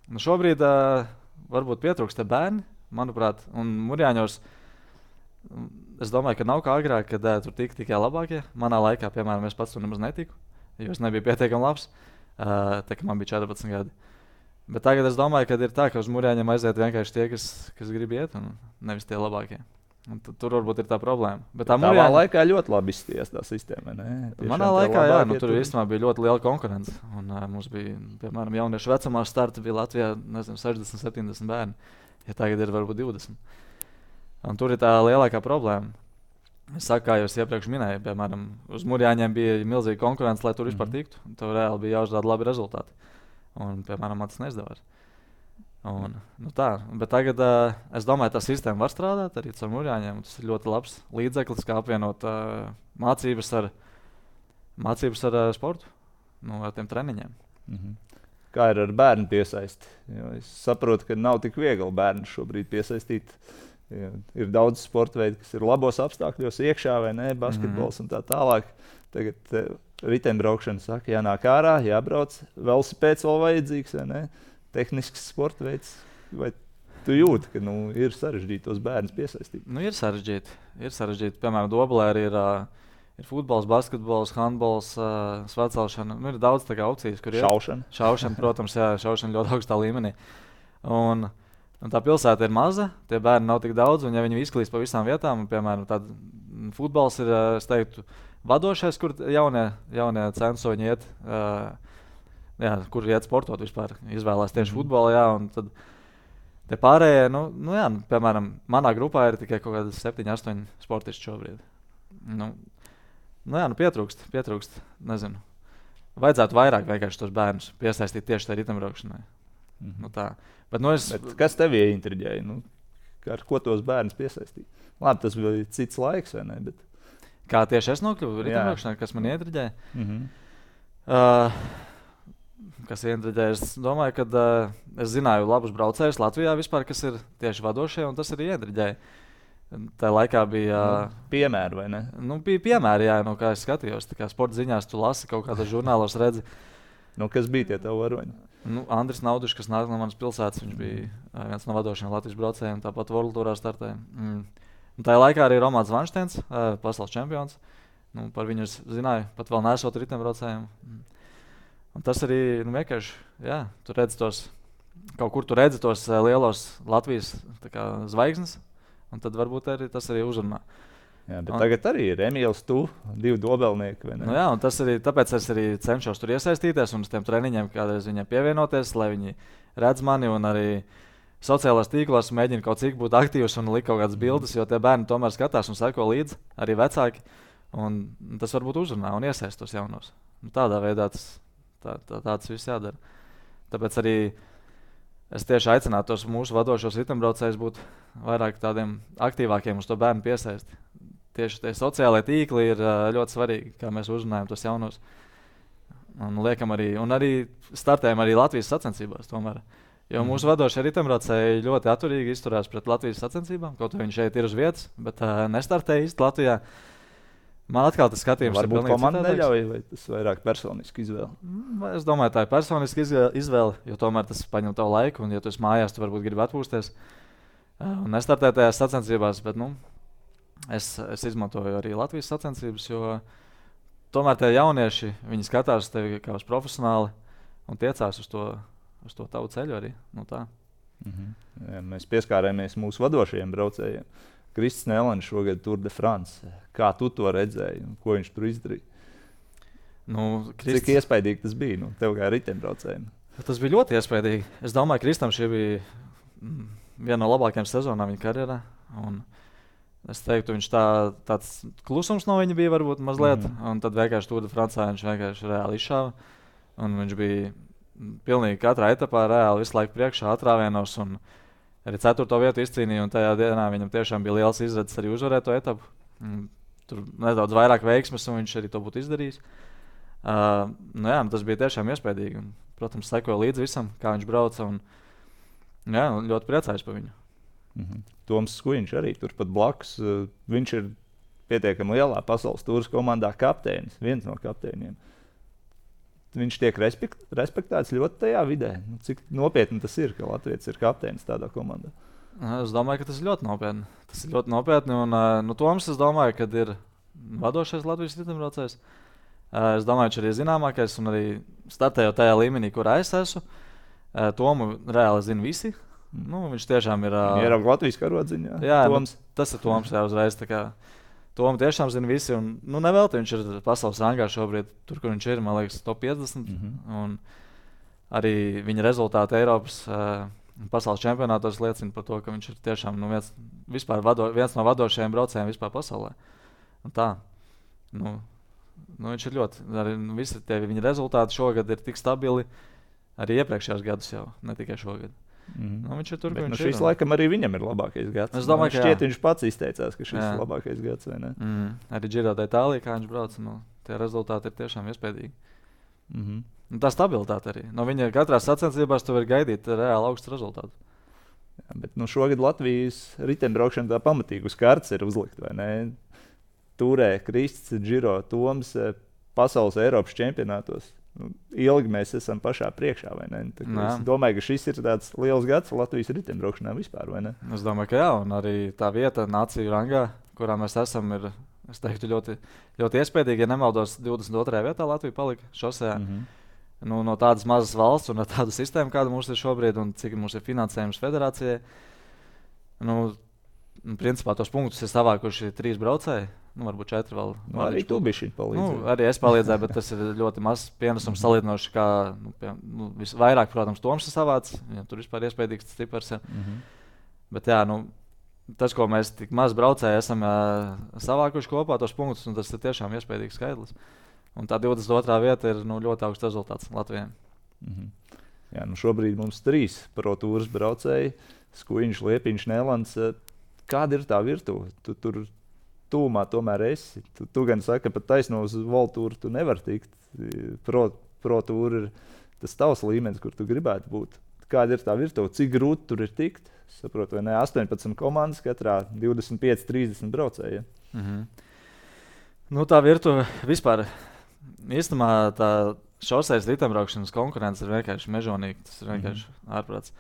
Nu, šobrīd uh, varbūt pietrūkst te bērni, manuprāt, un Murjāņos. mm, Es domāju, ka nav kā agrāk, kad uh, tur tika tikai labākie. Manā laikā, piemēram, es pats tur nemaz netiku, jo es nebiju pietiekami labs. Uh, tā kā man bija četrpadsmit gadi. Bet tagad es domāju, ka ir tā, ka uz Murjāņiem aiziet vienkārši tie, kas, kas grib iet, un nevis tie labākie. Un tu- tur varbūt ir tā problēma. Bet tā Tavā Murjāņi- laikā ļoti labi izskatījās tā sistēma. Ne? Tiešām Manā tie laikā, jā, labākie nu, tur īstenībā bija ļoti liela konkurence. Un, uh, mums bija, piemēram, jauniešu vecumā starta bija Latvijā nezinu, sešdesmit, septiņdesmit bērni. Ja tagad ir varbūt divdesmit. Un tur ir tā lielākā problēma. Es saku, kā jau es iepriekš minēju, piemēram, uz Murjāņiem bija milzīga konkurence, lai tur vispār Mhm. tiktu. Un tur reāli bija jāuzrāda labi rezultāti. Un, piemēram, man tas neizdevās. Un, nu tā, bet tagad uh, es domāju, ka tā sistēma var strādāt arī ar Murjāņiem. Tas ir ļoti labs līdzeklis, kā apvienot uh, mācības ar, mācības ar uh, sportu, nu, ar tiem treniņiem. Mhm. Kā ir ar bērnu piesaisti? Jo es saprotu, ka nav tik viegli bērnu šobrīd piesaistīt. Jo ir daudz sporta veidu, kas ir labos apstākļos, iekšā vai ne, basketbols un tā tālāk. Tagad uh, riteņbraukšana saka, jānāk ārā, jābrauc. Velosipēds vēl vajadzīgs, vai ne? Tehnisks sporta veids. Vai tu jūti, ka nu, ir sarežģīti tos bērnus piesaistīt? Nu, ir sarežģīti. Ir sarežģīti. Piemēram, Dobelē arī ir, uh, ir futbols, basketbols, handbols, uh, svarcelšana. Nu, ir daudz tā kā opcijas, kur ir Šaušana. Šaušana, protams, jā, šaušana ļoti augstā līmenī. Un, un tā pilsēta ir maza, tie bērni nav tik daudz, un ja viņi izklīst pa visām vietām, un, piemēram, tād, mm, futbols ir, uh, es teiktu, vadošais, kur jaunie, jaunie censoņi iet, uh, jā, kur iet sportot vispār, izvēlās tieši Mhm. futbolu, jā, un tad te pārējie, nu, nu jā, nu, piemēram, manā grupā ir tikai kaut kādi septiņi, astoņi sportisti šobrīd. Nu, nu jā, nu pietrūkst, pietrūkst, nezinu. Vajadzētu vairāk vienkārši tos bērnus piesaistīt tieši tajā riteņbraukšanai. Mhm. Nu tā. Bet, nu, es, Bet kas tev ieintriģēja? Nu, ar ko tos bērnus piesaistīt? Labi, tas bija cits laiks, vai ne? Bet... kā tieši es nokļuvu Jā. riteņbraukšanai, kas man ietriģēja? Mhm. Uh, kas ietriģēja? Es domāju, ka uh, es zināju labus braucējus Latvijā vispār, kas ir tieši vadošie, un tas arī ietriģēja. Tā laikā bija, uh, Piemēri, vai ne? nu, bija piemēri, jā, no kā es skatījos. Tā kā sporta ziņās tu lasi kaut kādos žurnālos, redzi. Nu, kas bija tie tavi varoņi? Nu, Andris Naudišs, kas nāk no manas pilsētas, viņš bija uh, viens no vadošajiem Latvijas braucējiem, tāpat World Tourā startēja. Mm. Un tajā laikā arī Romanis Vanšteins, uh, pasaules čempions. Nu, par viņu es zināju, pat vēl nesot riteņbraucējiem. Mm. Un tas arī nu, vienkārši, jā, tu redz tos kaut kur tu redzi tos uh, lielos Latvijas kā, zvaigznes, un tad varbūt arī tas arī uzrunā. Jā, bet un, tagad arī ir Emīls, tu, divi dobelnieki. Nu jā, un tas arī, tāpēc es arī cenšos tur iesaistīties un uz tiem treniņiem kādreiz viņiem pievienoties, lai viņi redz mani un arī sociālās tīklos mēģina kaut cik būt aktīvs un likt kaut kādas bildes, jo tie bērni tomēr skatās un seko līdzi, arī vecāki. Un tas varbūt uzrunā un iesaist tos jaunos. Nu, tādā veidā tas, tā, tā, tāds viss jādara. Tāpēc arī es tieši aicinātu tos mūsu vadošos ritembraucējus būt vairāk tādiem aktīvākiem uz to bērnu piesaisti. Tieši tie sociālai tīkli ir uh, ļoti svarīgi, kā mēs uzrunājam tos jaunos. Un liekam arī, un arī startējam arī Latvijas sacensībās tomēr. Jo mm. mūsu vadošie ritembraucēji ļoti atturīgi izturās pret Latvijas sacensībām, kaut arī viņi šeit ir uz vietas, bet uh, nestartēja īsti Latvijā. Man atkal tas skatījums ir pilnīgi komanda neļauj, vai tas vairāk personiski izvēle? Es domāju, tā ir personiski izvēle, jo tomēr tas paņem tavu laiku, un ja tu esi mājās, tu varbūt gribi atpūsties un nestartēt tajās sacensībās, bet nu, es, es izmantoju arī Latvijas sacensības, jo tomēr tie jaunieši, viņi skatās tevi kā uz profesionāli un tiecās uz to, uz to tavu ceļu arī. Nu, tā. Mhm. Ja, mēs pieskārāmies mūsu vadošajiem braucējiem. Krists Nelans šogad Tour de France. Kā tu to redzēji un ko viņš tur izdarīja? Nu, Krists... Cik iespaidīgi tas bija, nu, tev kā ritembraucējiem? Tas bija ļoti iespaidīgi. Es domāju, ka Kristam šī bija viena no labākajām sezonām viņa karjerā. Un es teiktu, viņš tā, tāds klusums no viņa bija varbūt mazliet. Mm -hmm. Un tad vienkārši Tour de France viņš vienkārši reāli izšāva. Un viņš bija pilnīgi katrā etapā reāli visu laiku priekšā atrāvienos. Un arī ceturto vietu izcīnīja, un tajā dienā viņam tiešām bija liels izredzes arī uzvarēt to etapu. Tur nedaudz vairāk veiksmes, un viņš arī to būtu izdarījis. Uh, nu jā, tas bija tiešām iespaidīgi. Un, protams, sekoja līdzi visam, kā viņš brauca. Un, jā, ļoti priecājos par viņu. Mm-hmm. Toms Skuiņš arī turpat blakus. Uh, viņš ir pietiekami lielā pasaules tūras komandā kapteinis, viens no kapteiniem. Viņš tiek respekt, respektēts ļoti tajā vidē. Nu, cik nopietni tas ir, ka Latvijas ir kapteinis tādā komandā? Es domāju, ka tas ir ļoti nopietni. Tas ir ļoti nopietni. Un, nu, Toms, es domāju, ka ir vadošais Latvijas ritembraucējs. Es domāju, viņš arī ir zināmākais un arī startējot tajā līmenī, kurā es esmu. Tomu reāli zina visi. Nu, viņš tiešām ir... Ierauga Latvijas karodziņā. Jā, Toms. Nu, tas ir Toms jā, uzreiz. Tomu tiešām zina visi, un nu, nevelti viņš ir pasaules rangā šobrīd, tur, kur viņš ir, man liekas, top piecdesmit. Mm-hmm. Un arī viņa rezultāti Eiropas uh, pasaules čempionātos liecina par to, ka viņš ir tiešām nu, viens, vado, viens no vadošajiem braucējiem vispār pasaulē. Un tā, nu, nu, viņš ir ļoti, arī nu, visi tie viņa rezultāti šogad ir tik stabili, arī iepriekšējos gadus jau, ne tikai šogad. Mm-hmm. Nu, viņš ir tur, bet, viņš nu, šis ir. Laikam arī viņam ir labākais gads. Es domāju, ka šķiet, viņš pats izteicās, ka šis jā. ir labākais gads, vai ne? Mm. Arī Giro d'Italia, kā viņš brauc, nu, tie rezultāti ir tiešām iespējīgi. Mm-hmm. Un tā stabilitāte arī. No viņa katrā sacensībās tu vari gaidīt reāli augstu rezultātu. Jā, bet nu, šogad Latvijas ritembraukšana tā pamatīgi uz kartes ir uzlikt, vai ne? Turē, Krists, Giro, Toms, pasaules Eiropas čempionātos. Nu, ilgi mēs esam pašā priekšā, vai ne? Es domāju, ka šis ir tāds liels gads Latvijas ritembraukšanā vispār, vai ne? Es domāju, ka jā, un arī tā vieta nāciju rangā, kurā mēs esam, ir, es teiktu, ļoti, ļoti iespējīgi. Ja nemaldos, divdesmit otrajā vietā Latvija palika šosejā. Mm-hmm. Nu, no tādas mazas valsts un no tādu sistēmu, kāda mums ir šobrīd, un cik mums ir finansējums federācijai. Nu, principā tos punktus ir savākuši trīs braucēji. Nu, varbūt četri vēl. Nu, arī tu biji šī palīdzība. Nu, arī es palīdzēju, bet tas ir ļoti mazs pienesums salīdzinoši, kā nu, pie, nu, vairāk, protams, Toms ir savāds. Ja, tur vispār iespējīgs stiprs ir. Mm-hmm. Bet jā, nu, tas, ko mēs tik maz braucēji esam uh, savākuši kopā, tos punktus, un tas ir tiešām iespējīgs skaidrs. Un tā divdesmit otrā vieta ir nu, ļoti augsts rezultāts Latvijai. Mm-hmm. Jā, nu šobrīd mums trīs pro tūras braucēji. Skuiņš, Liepiņš, Nelans. Kāda ir tā virtuve? Tu tur tūmā tomēr esi. Tu, tu gan saki, ka pat taisno uz Voltūru tu nevar tikt. Pro, pro tūra ir tas tavs līmenis, kur tu gribētu būt. Kāda ir tā virtuve? Cik grūti tur ir tikt? Saprotu, vai ne? astoņpadsmit komandas, katrā divdesmit pieci trīsdesmit braucēji. Ja? Mm-hmm. Nu, tā virtuve vispār, īstenībā tā šosejas ritembraukšanas konkurence ir vienkārši mežonīga. Tas ir vienkārši mm-hmm. ārprāts.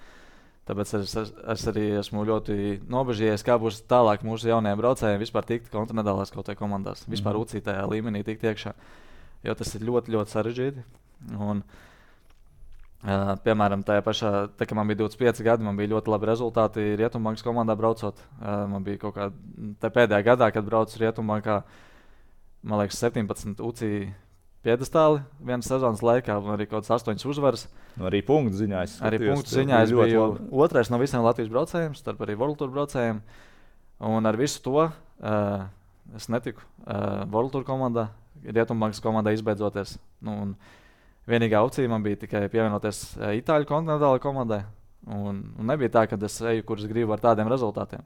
Tāpēc es, es, es arī esmu ļoti nobežījies, kā būs tālāk mūsu jaunajiem braucējiem vispār tikt kontinentālās kaut kādā komandās. Vispār mm-hmm. ucītajā līmenī tikt iekšā, jo tas ir ļoti, ļoti sarežģīti. Un Uh, piemēram, tajā pašā, tā, kad man bija divdesmit pieci gadi, man bija ļoti labi rezultāti Rietumbankas komandā braucot. Uh, man bija kaut kā pēdējā gadā, kad braucu Rietumbankā, man liekas, septiņpadsmit U C I piedestāli vienas sezonas laikā, un arī kaut kāds astoņas uzvaras. Nu, arī punktu ziņā es Arī punktu ziņā es biju otrais no visiem Latvijas braucējiem, starp arī World Tour braucējiem. Un ar visu to uh, es netiku uh, World Tour komandā, Rietumbankas komandā izbeidzoties. Nu, un, vienīgā opcija man bija tikai pievienoties uh, Itāļu kontinentālajai komandai. Un, un nebija tā, ka es eju, kurus gribu ar tādiem rezultātiem.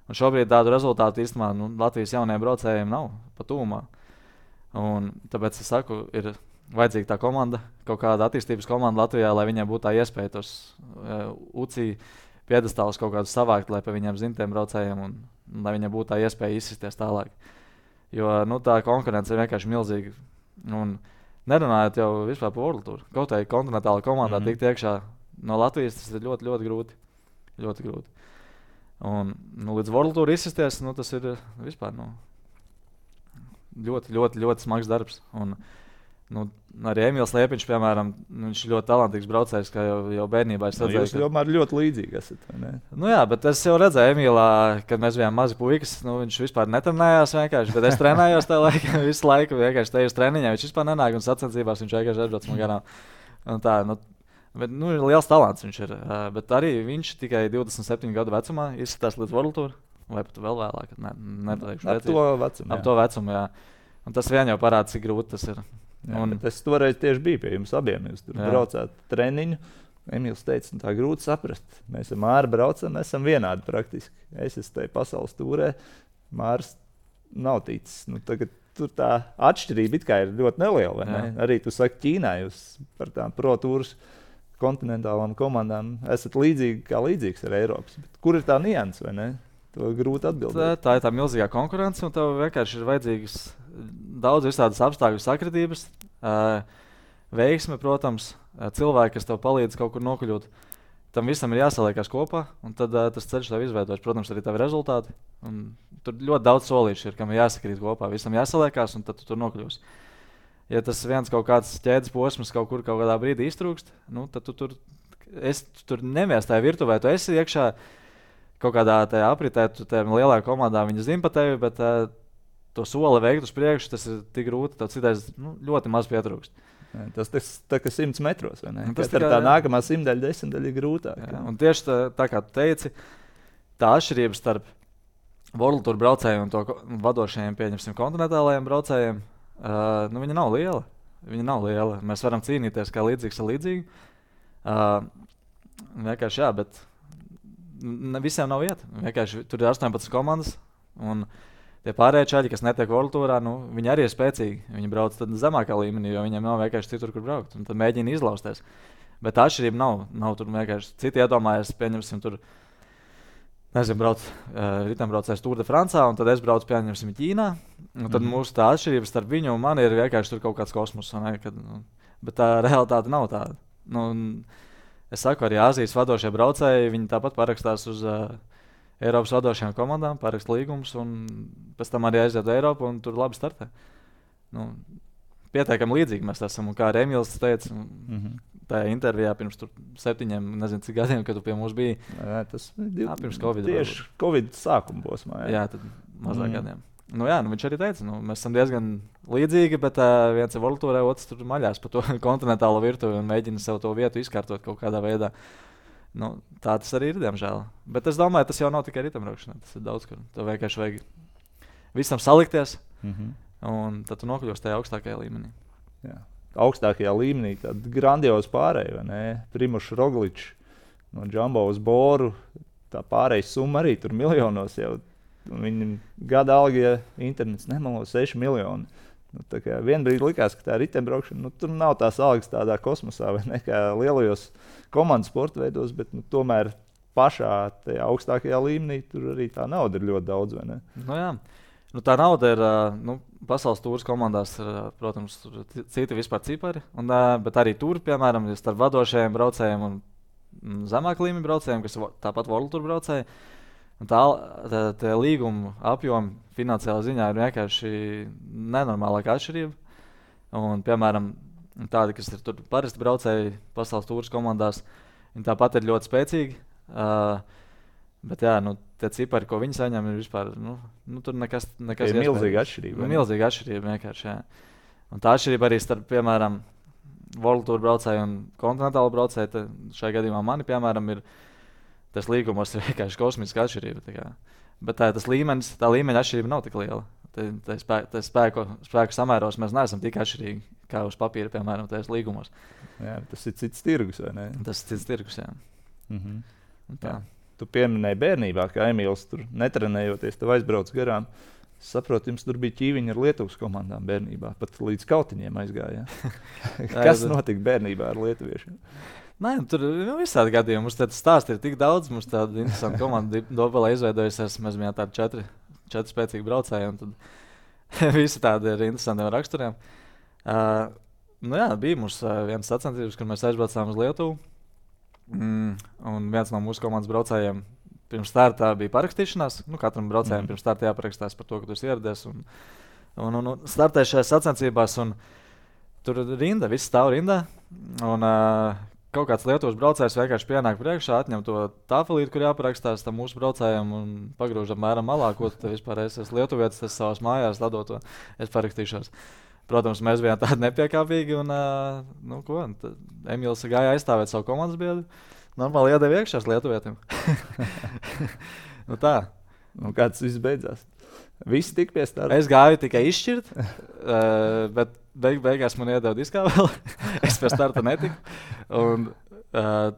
Un šobrīd tādu rezultātu īstenībā nu, Latvijas jaunajiem braucējiem nav pa tūmā. Un tāpēc es saku, ir vajadzīga tā komanda, kaut kāda attīstības komanda Latvijā, lai viņiem būtu tā iespēja tos uh, U C I piedestālus kaut kādus savākt, lai pa viņiem zintiem braucējiem un, un lai viņiem būtu tā iespēja izsisties tālāk. Jo nu, tā konkurence ir vienkārši milzīga. Un, nerunājot jau vispār par World Tour. Kaut arī kontinentāla komandā mm-hmm. tikt iekšā no Latvijas, tas ir ļoti, ļoti grūti. Ļoti grūti. Un nu, līdz World Tour izsisties, nu, tas ir vispār nu, ļoti, ļoti, ļoti smags darbs. Un, nu, arī Emīls Liepiņš, piemēram, nu, viņš ir ļoti talantīgs braucējs, kā jau, jau bērnībā es redzēju. Nu, jūs tomēr ka... ļoti līdzīgi esat, vai ne? Nu jā, bet es jau redzēju Emīlā, kad mēs bijām mazi puikas, nu, viņš vispār netrenējās vienkārši, bet es trenējos tajā laikā, visu laiku vienkārši te uz treniņā, viņš vispār nenāk un sacensībās viņš vienkārši aizbrauc man garām. Un tā, nu, bet, nu, liels talants viņš ir, bet arī viņš tikai divdesmit septiņu gadu vecumā izsitās līdz World Tour, vai pat vēl vēlāk, ne, nepateikšu. Ap to vecumu, Ap to vecumu, jā. Un tas vien jau parāda, cik grūti tas ir. Jā, un... Es toreiz tieši biju pie jums abiem. Jūs tur jā. braucāt treniņu. Emīls teica, nu, tā grūti saprast. Mēs ar Māru braucam, mēs esam vienādi praktiski. Es esmu tajā pasaules tūrē, Mārs nav ticis. Nu, tagad tur tā atšķirība it kā ir ļoti neliela. Vai ne? Arī tu saki, Ķīnā jūs par tām pro tūras kontinentālām komandām esat līdzīgi kā līdzīgs ar Eiropas. Bet kur ir tā nianses, vai ne? To grūti atbildēt. Tā, tā ir tā milzīgā konkurence, un tev vienkārši ir vajadzīgas daudz visādas apstākļu sakritības, uh, veiksme, protams, uh, cilvēki, kas tev palīdz kaut kur nokļūt. Tam visam ir jāsaliekās kopā, un tad uh, tas ceļš tev izveidojas. Protams, arī tavi rezultāti. Un tur ļoti daudz solīšu ir, kam ir jāsakrīt kopā. Visam jāsaliekās, un tad tu tur nokļūsi. Ja tas viens kaut kāds ķēdes posms kaut kur kaut kādā brīdī iztrūkst, nu, tad tu tur, es, tu tur nemies tajā virtuvē, tu esi iekšā kaut kādā tajā apritē, tu tajā lielā komandā viņi zina pa tevi, bet uh, to soli veikt uz priekšu, tas ir tik grūti, tev citais nu, ļoti maz pietrūkst. Jā, tas tas tā kā simts metros, vai ne? Tas tā, tā nākamā simtdaļa, desmitdaļa ir grūtāk. Jā, un tieši tā, tā kā tu teici, tā atšķirība starp World Tour braucējiem un to vadošajiem, pieņemsim, kontinentālajiem braucējiem, uh, nu viņa nav liela. Viņa nav liela. Mēs varam cīnīties kā līdzīgs ar līdzīgu. Uh, vienkārši jā, bet ne, visiem nav vieta. Vienkārši tur ir astoņpadsmit komandas, un tie pārējie čaļi, kas netiek World Tourā, nu, viņi arī ir spēcīgi. Viņi brauc tad zemākā līmenī, jo viņiem nav vienkārši citur, kur braukt. Un tad mēģina izlausties. Bet tā atšķirība nav. Nav tur vienkārši citi iedomājas, pieņemsim, tur, nezinu, brauc uh, ritembraucējs Tour de Francā, un tad es braucu, pieņemsim, Ķīnā. Un tad mm. mūsu tā atšķirība starp viņu un mani ir vienkārši tur kaut kāds kosmos. Ne, kad, nu, bet tā realitāte nav tāda. Nu, es saku, arī Āzijas vadošie braucēji, viņi tāpat parakstās uz uh, Eiropas vadošajām komandām, parakst līgumus, un pēc tam arī aiziet uz Eiropu, un tur labi startē. Nu, pietiekami līdzīgi mēs esam, un kā Emīls teica, mm-hmm. tajā intervijā pirms septiņiem, nezinu cik gadiem, kad tu pie mums biji. Jā, tas ir pirms Covid. Tieši varbūt. Covid sākuma posmā. Jā, jā tad mazāk mm. gadiem. Nu jā, nu viņš arī teica, nu mēs esam diezgan līdzīgi, bet uh, viens ir World Tourē, otrs tur maļās pa to kontinentālo virtuvi un mēģina sev to vietu izkārtot kaut kādā veidā. Nu, tā tas arī ir, diemžēl. Bet es domāju, tas jau nav tikai ritembraukšanā, tas ir daudz, kur tev vienkārši vajag visam salikties, mm-hmm. un tad tu nokļūsi tajā augstākajā līmenī. Jā. Augstākajā līmenī tāda grandioza pārēja, vai ne? Primožs Rogličs no Jumbo uz Boru, tā pārējas summa arī tur miljonos jau. Viņam gada alga, ja internets nemelo, seši miljoni. Nu, tā kā vienbrīd likās, ka tā ritembraukšana, nu, tur nav tās algas tādā kosmosā, vai ne, kā lielajos komandas sporta veidos, bet nu, tomēr pašā tajā augstākajā līmenī tur arī tā nauda ir ļoti daudz, vai ne? Nu jā, nu, tā nauda ir, nu, pasaules tūras komandās ir, protams, citi vispār cipari, un, bet arī tur, piemēram, starp vadošajiem braucējiem un zemāk līmeņa braucējiem, kas tāpat World Tour braucēji, un tā, tā, tā līguma apjoma finansiālā ziņā ir vienkārši nenormālāka atšķirība. Un, piemēram, tādi, kas ir tur parasti braucēji pasaules tūras komandās, viņi tāpat ir ļoti spēcīgi. Uh, bet jā, nu, tie cipari, ko viņi saņem, ir vispār, nu, nu tur nekas, nekas ir milzīga atšķirība. Nu, milzīga atšķirība vienkārši, jā. Un tā atšķirība arī starp, piemēram, World Tour braucēju un kontinentālu braucēju, šajā gadījumā mani, piemēram, ir tas līgumos ir vienkārši kosmiska atšķirība. Tā kā. Bet tā, tas līmenis, tā līmeņa atšķirība nav tik liela. Tā, tā, spē, tā spēku, spēku samēros mēs neesam tik atšķirīgi kā uz papīra, piemēram, tajos līgumos. Jā, tas ir cits tirgus, vai ne? Tas ir cits tirgus, jā. Mhm. Tā. Jā. Tu pieminēji bērnībā, ka Emīls tur netrenējoties, tev aizbrauc garām. Es saprotu, jums tur bija ķīviņi ar Lietuvas komandām bērnībā, pat līdz kautiņiem aizgāja. Kas notika bērnībā ar lietuviešiem? Nē, tur nu, visādi gadījumi. Mums tāds stāsts ir tik daudz, mums tāda interesanta komanda Dobelē izveidojusies. Mēs bijām tādi četri, četri spēcīgi braucēji, un tad visi tādi ar interesantiem raksturiem. Uh, nu jā, bija mums uh, viens sacensības, kad mēs aizbraucām uz Lietuvu. Mm, un viens no mūsu komandas braucējiem pirms starta bija parakstīšanās. Nu, katram braucējiem mm. pirms starta jāparakstās par to, ka tu esi ieradies. Un, un, un, un startēji šajās sacensībās, un tur rinda, viss stāv rindā. Un, uh, kaut kāds Lietuvas braucējs vienkārši pienāk priekšā, atņem to tāfelīti, kur jāparakstās tam mūsu braucējiem un pagrūž apmēram malā, ko tu vispār esi lietuvietis, tas savās mājās ladot to, es parakstīšos. Protams, mēs bijām tādi nepiekāpīgi un, uh, nu ko, Emīls gāja aizstāvēt savu komandas biedru. Normāli iedeva iekšās lietuvietim. Nu tā. Un kā tas viss beidzās? Visi tik pie starta? Es gāju tikai izšķirt, uh, bet beig, beigās man iedeva diskā vēl. Es pie starta netiku. Un, uh,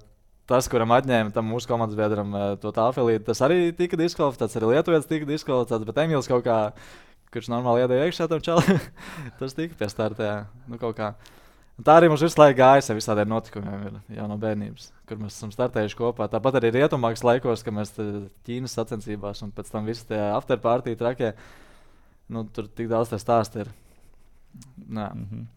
tas, kuram atņēma tam mūsu komandas biedram uh, to tāfelīti, tas arī tika diskvalificēts, arī lietuvietis tika diskvalificēts, bet Emīls kaut kā, kurš normāli iedeva iekšā tam čalim, tas tika pie starta, jā. Nu, kaut kā. Un tā arī mums visu laiku gājas ar visādiem notikumiem ir, jau no bērnības, kur mēs esam startējuši kopā. Tāpat arī rietumākas laikos, kad mēs Ķīnas sacensībās un pēc tam visi tie afterpartī trakie, nu, tur tik daudz tie stāsti ir. Nā. Mm-hmm.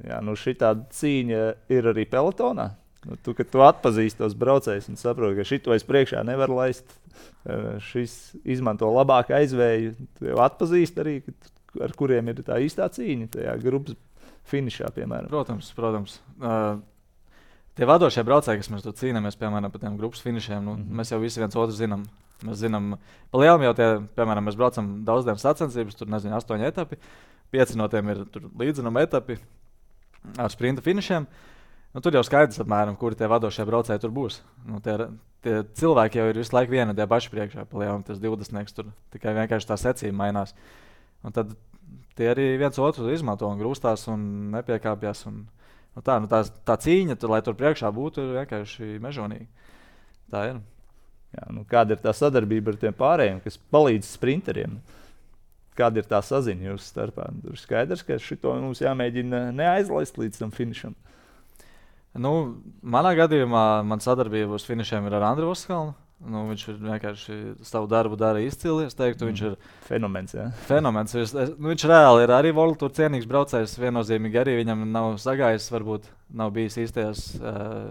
Jā, nu šī tāda cīņa ir arī pelotonā. Nu, tu, kad tu atpazīsti tos braucējus un saproti, ka šito es priekšā nevaru laist, šis izmanto labāku aizvēju, tu jau atpazīsti arī, ar kuriem ir tā īstā cīņa tajā grupas finišā, piemēram. Protams, protams. Uh, tie vadošie braucēji, kas mēs tur cīnāmies, piemēram, par tiem grupas finišiem, nu, mm-hmm. mēs jau visi viens otru zinām. Mēs zinām, pa lielam jau tie, piemēram, mēs braucam daudz dienas sacensības, tur, nezinu, astoņi etapi, pieci no tiem ir tur līdzinuma etapi ar sprinta finišiem. Nu, tur jau skaidrs apmēram, kuri tie vadošie braucēji tur būs. Nu, tie, tie cilvēki jau ir visu laiku viena tie paši priekšā, pa lielam tas divdesmitnieks tur tikai vienkārši tā secība mainās. Un tad tie arī viens otru izmanto un grūstās un nepiekāpjas. Un, nu tā, nu tā, tā cīņa, tur, lai tur priekšā būtu, ir vienkārši mežonīga. Tā ir. Jā, nu kāda ir tā sadarbība ar tiem pārējiem, kas palīdz sprinteriem? Kāda ir tā saziņa jūsu starpā? Tur skaidrs, ka šito mums jāmēģina neaizlaist līdz tam finišam. Nu, manā gadījumā man sadarbība uz finišiem ir ar Andru Voskalnu. Nu, viņš ir vienkārši savu darbu dara izcili. Es teiktu, mm. viņš ir fenomens. Jā. Fenomens. Viņš, nu, viņš reāli ir arī World Tour cienīgs braucējs. Viennozīmīgi arī viņam nav sagājis, varbūt nav bijis īstajos uh,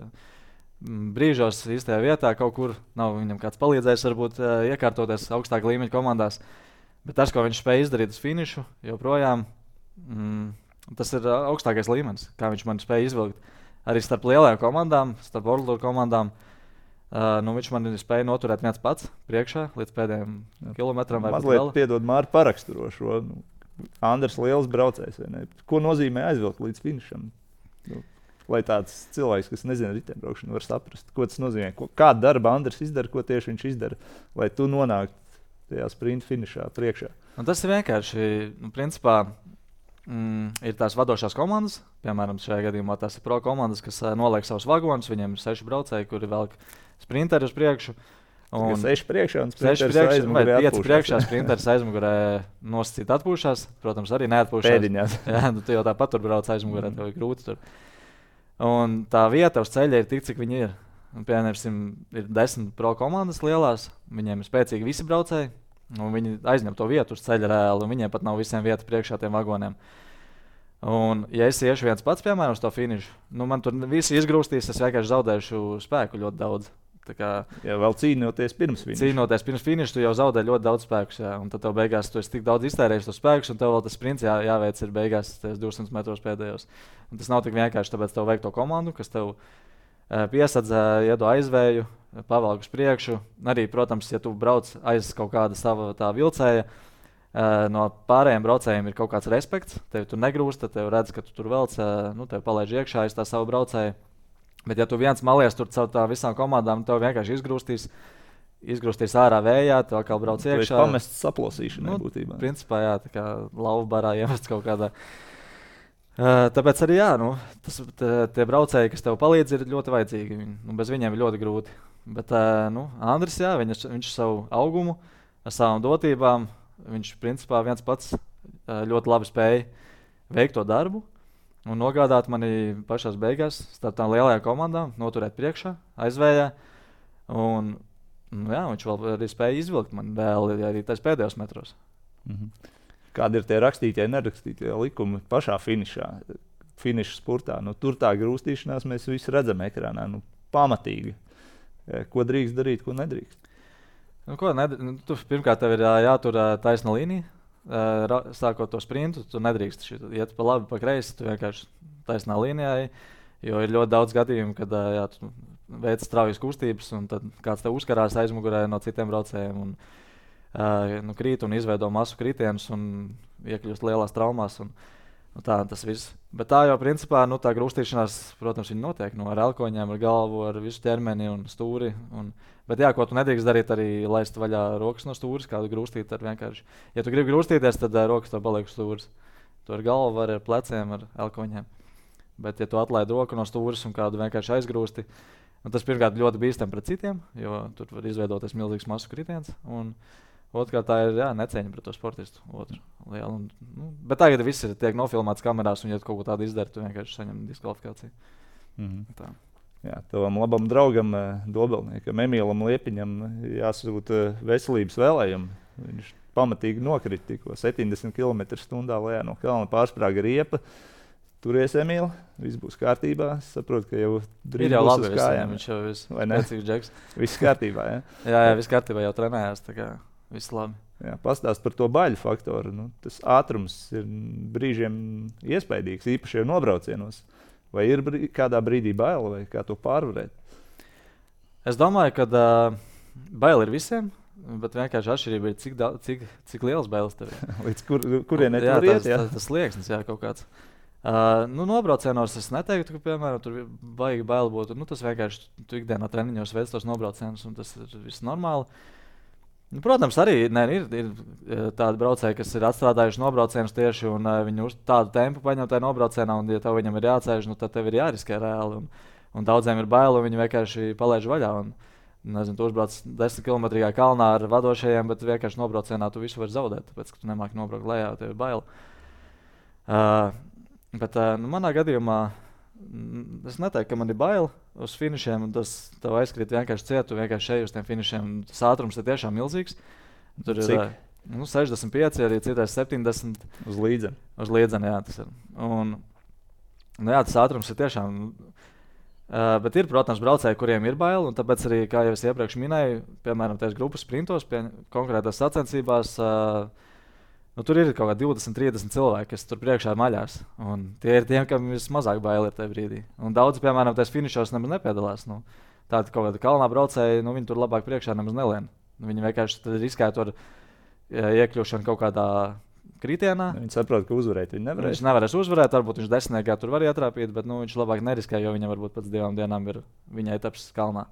brīžos, īstajā vietā kaut kur. Nav viņam kāds palīdzējis varbūt uh, iekārtoties augstāk līmeņa komandās. Bet tas, ko viņš spēja izdarīt uz finišu, joprojām, mm, tas ir augstākais līmenis, kā viņš man spēja izvilkt. Arī starp lielajām komandām, starp World Tour komandām. Uh, nu, viņš man spēja noturēt viens pats priekšā līdz pēdējiem kilometram. Mazliet piedod Māri paraksturošo. Nu, Andrs liels braucējs. Ko nozīmē aizvilkt līdz finišam? Nu, lai tāds cilvēks, kas nezina riteņbraukšanu, var saprast, ko tas nozīmē. Ko, kādu darbu Andrs izdara, ko tieši viņš izdara, lai tu nonāktu tajā sprinta finišā priekšā. Un tas ir vienkārši, nu, principā, mm, ir tās vadošās komandas. Piemēram, šajā gadījumā tās ir pro komandas, kas uh, noliek savus vagonus. Viņiem ir seši braucēji, kuri velk sprinteri uz priekšu. Un seši priekšā un sprinteris aizmugurē. Pieci priekšā, sprinteris aizmugurē nosacīt atpūšās. Protams, arī neatpūšās. Pēdiņās. Jā, nu, tu jau tāpat tur brauc aizmugurē, tev ir grūti tur. Un tā vieta uz ceļa ir tik, cik viņi ir. Un, piemēram, ir desmit pro komandas lielās. Viņiem ir spēcīgi visi braucēji. Un viņi aizņem to vietu uz ceļa reāli. Un viņiem pat nav visiem vieta priekšā tiem vagoniem. Un, ja es iešu viens pats, piemēram, uz to finišu, nu, man tur visi izgrūstīs, es vienkārši zaudēšu spēku ļoti daudz. Tā kā, jā, vēl cīnoties pirms finiša. Cīnoties pirms finiša, tu jau zaudē ļoti daudz spēkus. Jā, un tad tev beigās tu esi tik daudz iztērējis tos spēkus, un tev vēl tas sprints jā, jāveic ir beigās divsimt metros pēdējos. Un tas nav tik vienkārši, tāpēc tev vajag to komandu, kas tev uh, piesadz, uh, iedo aizvēju, pavelk uz priekšu. Arī, protams, ja tu brauc aiz kaut kāda sava tā vilcēja, uh, no pārējiem braucējiem ir kaut kāds respekts. Tev tur negrūst, tad tev redz, ka tu tur velc, uh, nu, tev palaiž iekšā aiz tā savu braucēju. Bet, ja tu viens malies tur caur tā visām komandām, tev vienkārši izgrūstīs, izgrūstīs ārā vējā, tu atkal brauc iekšā. Tu esi pamests saplosīšanai nu, būtībā. Principā, jā, tā kā lauva barā iemests kaut kādā. Uh, tāpēc arī, jā, nu, tas, t, tie braucēji, kas tev palīdz, ir ļoti vajadzīgi. Nu, bez viņiem ir ļoti grūti. Bet, uh, nu, Andris, jā, viņš, viņš savu augumu, ar savām dotībām, viņš principā viens pats uh, ļoti labi spēja veikt to darbu. Un nogādāt mani pašās beigās starp tām lielajām komandām, noturēt priekšā, aizvējā. Un, nu jā, viņš vēl arī spēja izvilkt mani vēl arī tais pēdējos metros. Mm-hmm. Kādi ir tie rakstītie, nerakstītie likumi pašā finišā, finiša spurtā? Nu, tur tā grūstīšanās mēs visi redzam ekrānā, nu, pamatīgi. Ko drīkst darīt, ko nedrīkst? Nu, ko nedrīkst? Nu, tu, pirmkārt, tev ir jātur taisna līnija. Uh, sākot to sprintu, tu nedrīkst iet pa labi, pa kreisi, tu vienkārši taisnā līnijā, jo ir ļoti daudz gadījumu, kad uh, jā, tu veic straujas kustības, un tad kāds te uzkarās aizmugurē no citiem braucējiem, un uh, nu, krīt un izveido masu kritienus un iekļūst lielās traumās. Un, nu, tā tas viss. Bet tā jau principā, nu, tā grūstīšanās, protams, viņi notiek no, ar elkoņiem, ar galvu, ar visu ķermeni un stūri. Un, bet jā, ko tu nedrīkst darīt, arī laist vaļā rokas no stūres, kādu grūstīt ar vienkārši. Ja tu gribi grūstīties, tad uh, rokas tev paliek stūres. Tu ar galvu vari, ar pleciem, ar elkoņiem. Bet ja tu atlaid roku no stūres un kādu vienkārši aizgrūsti, tas pirmkārt ļoti bīstam pret citiem, jo tur var izveidoties milzīgs masu kritiens. Un otrkārt tā ir jā, necieņa pret to sportistu. Otru, lielu, un, nu, bet tagad viss ir tiek nofilmēts kamerās, un ja tu kaut ko tādu izdari, tu vienkārši saņem diskvalifikāciju. Mm-hmm. Tā. Jā, tavam labam draugam, Dobelniekam, Emīlam Liepiņam jāsūta veselības vēlējumi. Viņš pamatīgi nokrita tikko septiņdesmit kilometrus stundā lejā no kalna, pārsprāga riepa. Turies, Emīl, viss būs kārtībā. Es saprotu, ka jau drīz ir jau būs labi, uz kājām. Viņš jau ir vecīgs džeks. Viss kārtībā, jā? jā, jā, viss kārtībā, jau trenējās, tā kā viss labi. Jā, pastāst par to baļu faktoru. Nu, tas ātrums ir brīžiem iespaidīgs, īpaši jau nobraucienos. Vai ir brī, kādā brīdī baila, vai kā to pārvarēt? Es domāju, ka uh, baila ir visiem, bet vienkārši atšķirība ir, cik, da, cik, cik liels bailes tev ir. Līdz kur, kurien jā, tur iet? Tas, tas, tas slieksnis, jā, kaut kāds. Uh, nu, nobraucienos es neteiktu, ka, piemēram, tur vajag baila būt. Nu, tas vienkārši tu ikdienā treniņos veic tos nobraucienus, un tas ir viss normāli. Nu, protams, arī ne, ir, ir tādi braucēji, kas ir atstrādājuši nobraucienus tieši, un uh, viņi uz tādu tempu paņem tajā nobraucienā, un, ja tev viņam ir jāceļ, nu, tad tev ir jāriskē reāli. Un, un daudziem ir bail, un viņi vienkārši palaiž vaļā. Un, nezinu, tu uzbrauc desmit kilometrīgā kalnā ar vadošajiem, bet vienkārši nobraucienā tu visu vari zaudēt, tāpēc, ka tu nemāki nobraukt lejā, tev ir bail. Uh, bet uh, nu, manā gadījumā es neteiktu, ka man ir bail uz finišiem, un tas tev aizkrīt vienkārši ciet, tu vienkārši šeit uz tiem finišiem. Tas ātrums ir tiešām milzīgs. Tur Cik? ir nu, sešdesmit pieci, arī citais septiņdesmit. Uz līdzeni. Uz līdzeni, jā, tas ir. Un, nu, jā, tas ātrums ir tiešām. Uh, bet ir, protams, braucēji, kuriem ir bail, un tāpēc arī, kā jau es iepriekš minēju, piemēram, tās grupas sprintos, pie konkrētās sacensībās, uh, nu, tur ir kaut kā divdesmit, trīsdesmit cilvēki, kas tur priekšā maļās. Un tie ir tiem, kam vismazāk bail ir tajā brīdī. Un daudzi, piemēram, tajos finišos nemaz nepiedalās. Nu, tādi kaut kādi kalnā braucēji, nu, viņi tur labāk priekšā nemaz nelien. Nu, viņi vienkārši riskētu ar iekļūšanu kaut kādā kritienā. Viņi saprot, ka uzvarēt viņi nevarēs. Viņš nevarēs uzvarēt, varbūt viņš desmitniekā tur var ietrāpīt, bet nu, viņš labāk neriskē, jo viņam varbūt pēc divām dienām ir viņa etapas kalnā.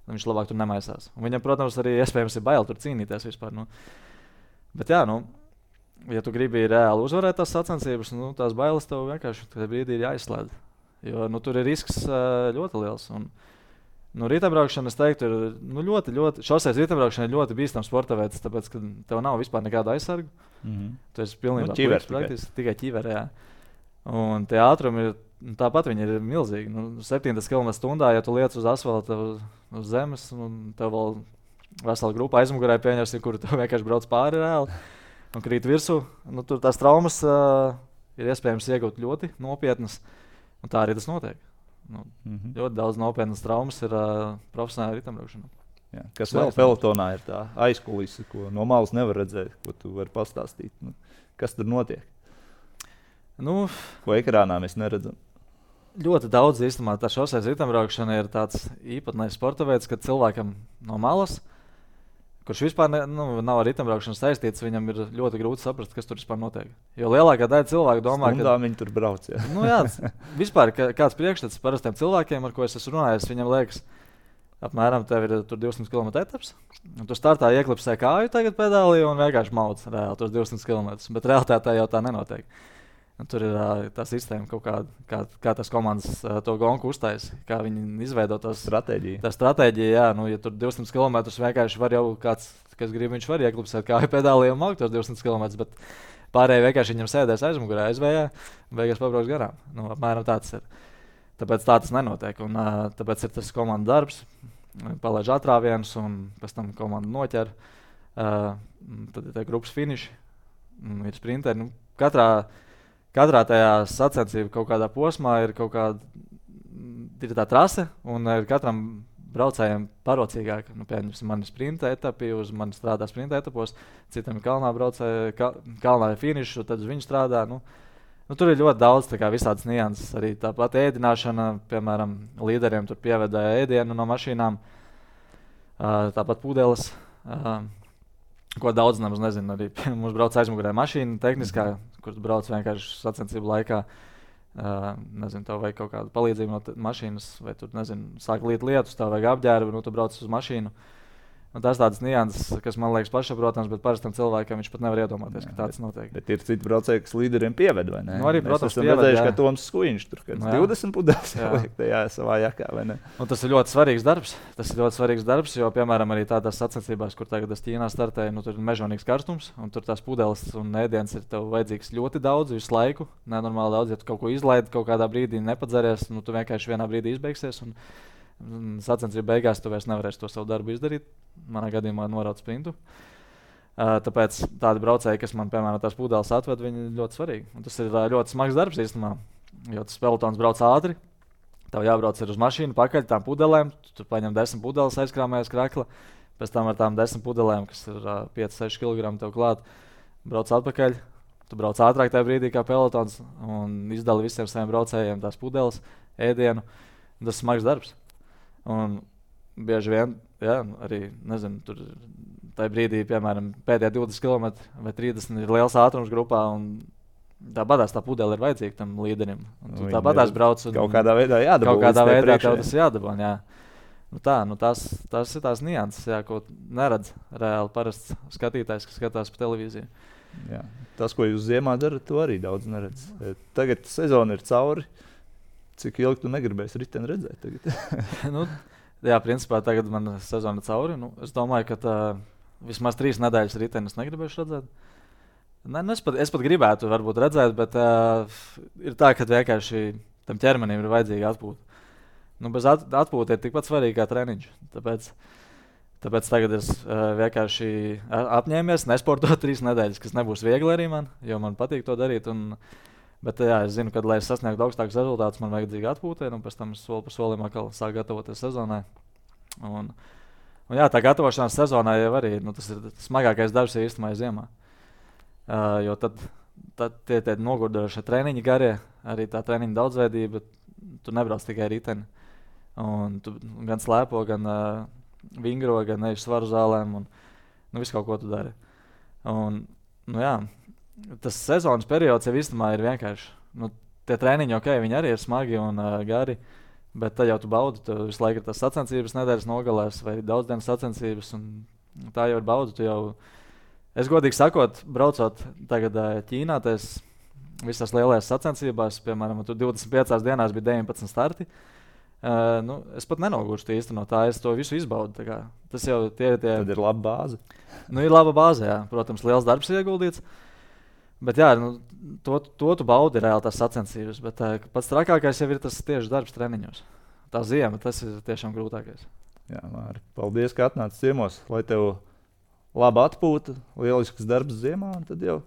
Viņš labāk tur nemaisās. Un viņam, protams, arī iespējams ir bail tur cīnīties vispār. Nu. Bet jā, nu, ja tu gribi reāli uzvarēt tās sacensības, nu, tās bailes tev vienkārši tajā brīdī ir jāizslēdz. Jo nu, tur ir risks ļoti liels. Un, nu, riteņbraukšana, es teiktu, ir nu, ļoti, ļoti, šoseis riteņbraukšana ir ļoti bīstams sporta veids, tāpēc, ka tev nav vispār nekāda aizsarga. Mm-hmm. Tu esi pilnībā nu, ķiver, praktiski tikai ķiverē. Un tie ātrumi ir, tāpat viņi ir milzīgi. Nu, septiņdesmit kilometru stundā, ja tu liec uz asfalta, uz, uz zemes, un tev vēl vesela grupa aizmugurē pieņemsi, kuru tev vienkārši brauc pāri reāli un krīt virsū. Nu, tur tās traumas uh, ir iespējams iegūt ļoti nopietnas, un tā arī tas notiek. Nu, mm-hmm. Ļoti daudz nopietnas traumas ir uh, profesionāla ritambraukšana. Jā, kas vēl pelotonā ir tā aizkulise, ko no malas nevar redzēt, ko tu vari pastāstīt? Nu, kas tur notiek? Nu, ko ekrānā mēs neredzam? Ļoti daudz īstenībā tā šoseis ritambraukšana ir tāds īpatnējs sporta veids, kad cilvēkam no malas, kurš vispār ne, nu, nav ar ritambraukšanu saistīts, viņam ir ļoti grūti saprast, kas tur vispār notiek. Jo lielākā daļa cilvēku domā, ka... Stundā viņi tur brauc, jā. Nu jā, vispār kā, kāds priekšstats parastiem cilvēkiem, ar ko es esmu runājis, viņam liekas, apmēram tev ir tur divsimt kilometru etaps, un tu startā ieklipsē kāju tagad pedālī un vienkārši mauc reāli tos divsimt kilometrus, bet realitātē jau tā nenotiek. Un tur ir uh, tā sistēma, kā, kā, kā tas komandas uh, to gonku uztais, kā viņi izveido tos stratēģiju. Tā stratēģija, jā, nu, ja tur divsimt kilometrus vienkārši var jau kāds, kas grib, viņš var ieklipsēt kāju pedālī un maukt tos divsimt kilometrus, bet pārējie vienkārši viņam sēdēs aizmugurē, aizvējā, un beigās pabrauks garām. Nu, apmēram tāds ir. Tāpēc tā tas nenotiek, un uh, tāpēc ir tas komandas darbs, palaiž atrāvienus, un pēc tam komanda noķer, uh, tad ir tie grupas finiši, ir sprinteri, nu, katrā Katrā tajā sacensību kaut kādā posmā ir kaut kāda ir tā trase, un ir katram braucējiem parocīgāk. Nu, piemēram, man ir sprinta etapi, uz mani strādā sprinta etapos, citam ir kalnā braucēji, kal, kalnā ir finišs, tad uz viņu strādā. Nu, nu, tur ir ļoti daudz tā kā visādas nianses. Arī tāpat ēdināšana, piemēram, līderiem tur pievedāja ēdienu no mašīnām, tāpat pudeles. Ko daudz nemaz nezinu, arī mums brauc aizmugurē mašīna tehniskā, kur brauc vienkārši sacensību laikā. Uh, nezinu, tev vajag kaut kādu palīdzību no t- mašīnas, vai tur, nezinu, sāk līt lietus, tev vajag apģērbu, nu tu brauc uz mašīnu. Un tās tādas nianses, kas man liekas pašsaprotams, bet parastam cilvēkam viņš pat nevar iedomāties, jā, ka tāds notiek. Bet ir citi braucēji, kas līderiem pieved, vai ne? Nu arī, protams, mēs esam redzējuši, ka Toms Skuiņš tur kāds divdesmit pudeles liek tajā savā jakā, vai ne? Un tas ir ļoti svarīgs darbs. Tas ir ļoti svarīgs darbs, jo, piemēram, arī tādās sacensībās, kur tagad es Ķīnā startēju, nu tur ir mežonīgs karstums, un tur tās pudeles un ēdiens ir tev vajadzīgs ļoti daudz, visu laiku, nenormāli daudz. Ja tu kaut ko izlaidi, kaut kādā brīdī nepadzeries, nu tu vienkārši vienā brīdī izbeigsies. Un, sacensību beigās tu vairs nevarēsi to savu darbu izdarīt. Manā gadījumā norauc sprintu. Uh, tāpēc tādi braucēji, kas man, piemēram, tās pudeles atved, viņi ir ļoti svarīgi. Un tas ir uh, ļoti smags darbs īstenībā, jo tas pelotons brauc ātri. Tev jābrauc ar uz mašīnu pakaļ tām pudelēm. Tu tur paņem desmit pudeles, aizkrāmējies krakla. Pēc tam ar tām desmit pudelēm, kas ir uh, pieci seši kilogrami tev klāt, brauc atpakaļ. Tu brauc ātrāk tajā brīdī kā pelotons un izdali visiem saviem braucējiem tās pudeles, ēdienu. Tas ir smags darbs. Un bieži vien, jā, arī, nezinu, tur tajā brīdī, piemēram, pēdējā divdesmit kilometri vai trīsdesmit ir liels ātrums grupā, un tāpatās tā pudele ir vajadzīga tam līderim. Un tu tāpatās brauc un kaut kādā veidā jādabū. Kaut kādā veidā tev tas jādabū, jā. Nu tā, nu tās, tās ir tās nianses, jā, ko neredz reāli parasts skatītājs, kas skatās pa televīziju. Jā. Tas, ko jūs ziemā darat, to arī daudz neredz. Tagad sezona ir cauri. Cik ilgi tu negribēsi riteni redzēt tagad? nu, jā, principā tagad man sezona cauri. Nu, es domāju, ka tā, vismaz trīs nedēļas ritenis negribēšu redzēt. Ne, nu, es, pat, es pat gribētu varbūt redzēt, bet uh, ir tā, ka vienkārši tam ķermenim ir vajadzīga atpūta. Nu, bez at, atpūta ir tikpat svarīga kā treniņš. Tāpēc, tāpēc tagad es uh, vienkārši apņēmies nesportot trīs nedēļas, kas nebūs viegli arī man, jo man patīk to darīt. Un, Bet jā, es zinu, ka, lai es sasniegtu augstākus rezultātus, man vajadzīga atpūta, un pēc tam es soli pa solim atkal sāku gatavoties sezonai. Un, un jā, tā gatavošanās sezonai jau arī, nu, tas ir smagākais darbs īstenībā ziemā. Uh, jo tad, tad tie, tie nogurdošie treniņi garie, arī tā treniņa daudzveidība, tu nebrauc tikai riteni. Un tu gan slēpo, gan uh, vingro, gan eji svaru zālēm, un nu, visu kaut ko tu dari. Un, nu jā, tas sezonas periods jau īstenībā ir vienkārši. Nu, tie treniņi, ok, viņi arī ir smagi un uh, gari, bet tad jau tu baudi. Tu visu laiku ir tas sacensības nedēļas nogalēs vai daudzdienas sacensības, un tā jau ir bauda. Tu jau, es godīgi sakot, braucot tagad uh, Ķīnā, tas visās lielajās sacensībās, piemēram, tur divdesmit piecās dienās bija deviņpadsmit starti. Uh, nu, es pat nenogurstu īsti no tā, es to visu izbaudu. Tā kā, tas jau tie, tie... Tad ir laba bāze. Nu, ir laba bāze, jā. Protams, liels darbs ir ieguldīts. Bet jā, nu, to, to tu baudi reāli tās sacensības, bet uh, pats trakākais jau ir tas tieši darbs treniņos. Tā ziema, tas ir tiešām grūtākais. Jā, Māri, paldies, ka atnāci ciemos, lai tev laba atpūta, lielisks darbs ziemā, un tad jau,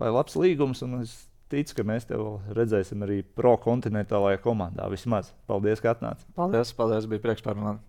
lai labs līgums, un es ticu, ka mēs tev redzēsim arī pro kontinentālajā komandā vismaz. Paldies, ka atnāci. Paldies, paldies, bija prieks par mani.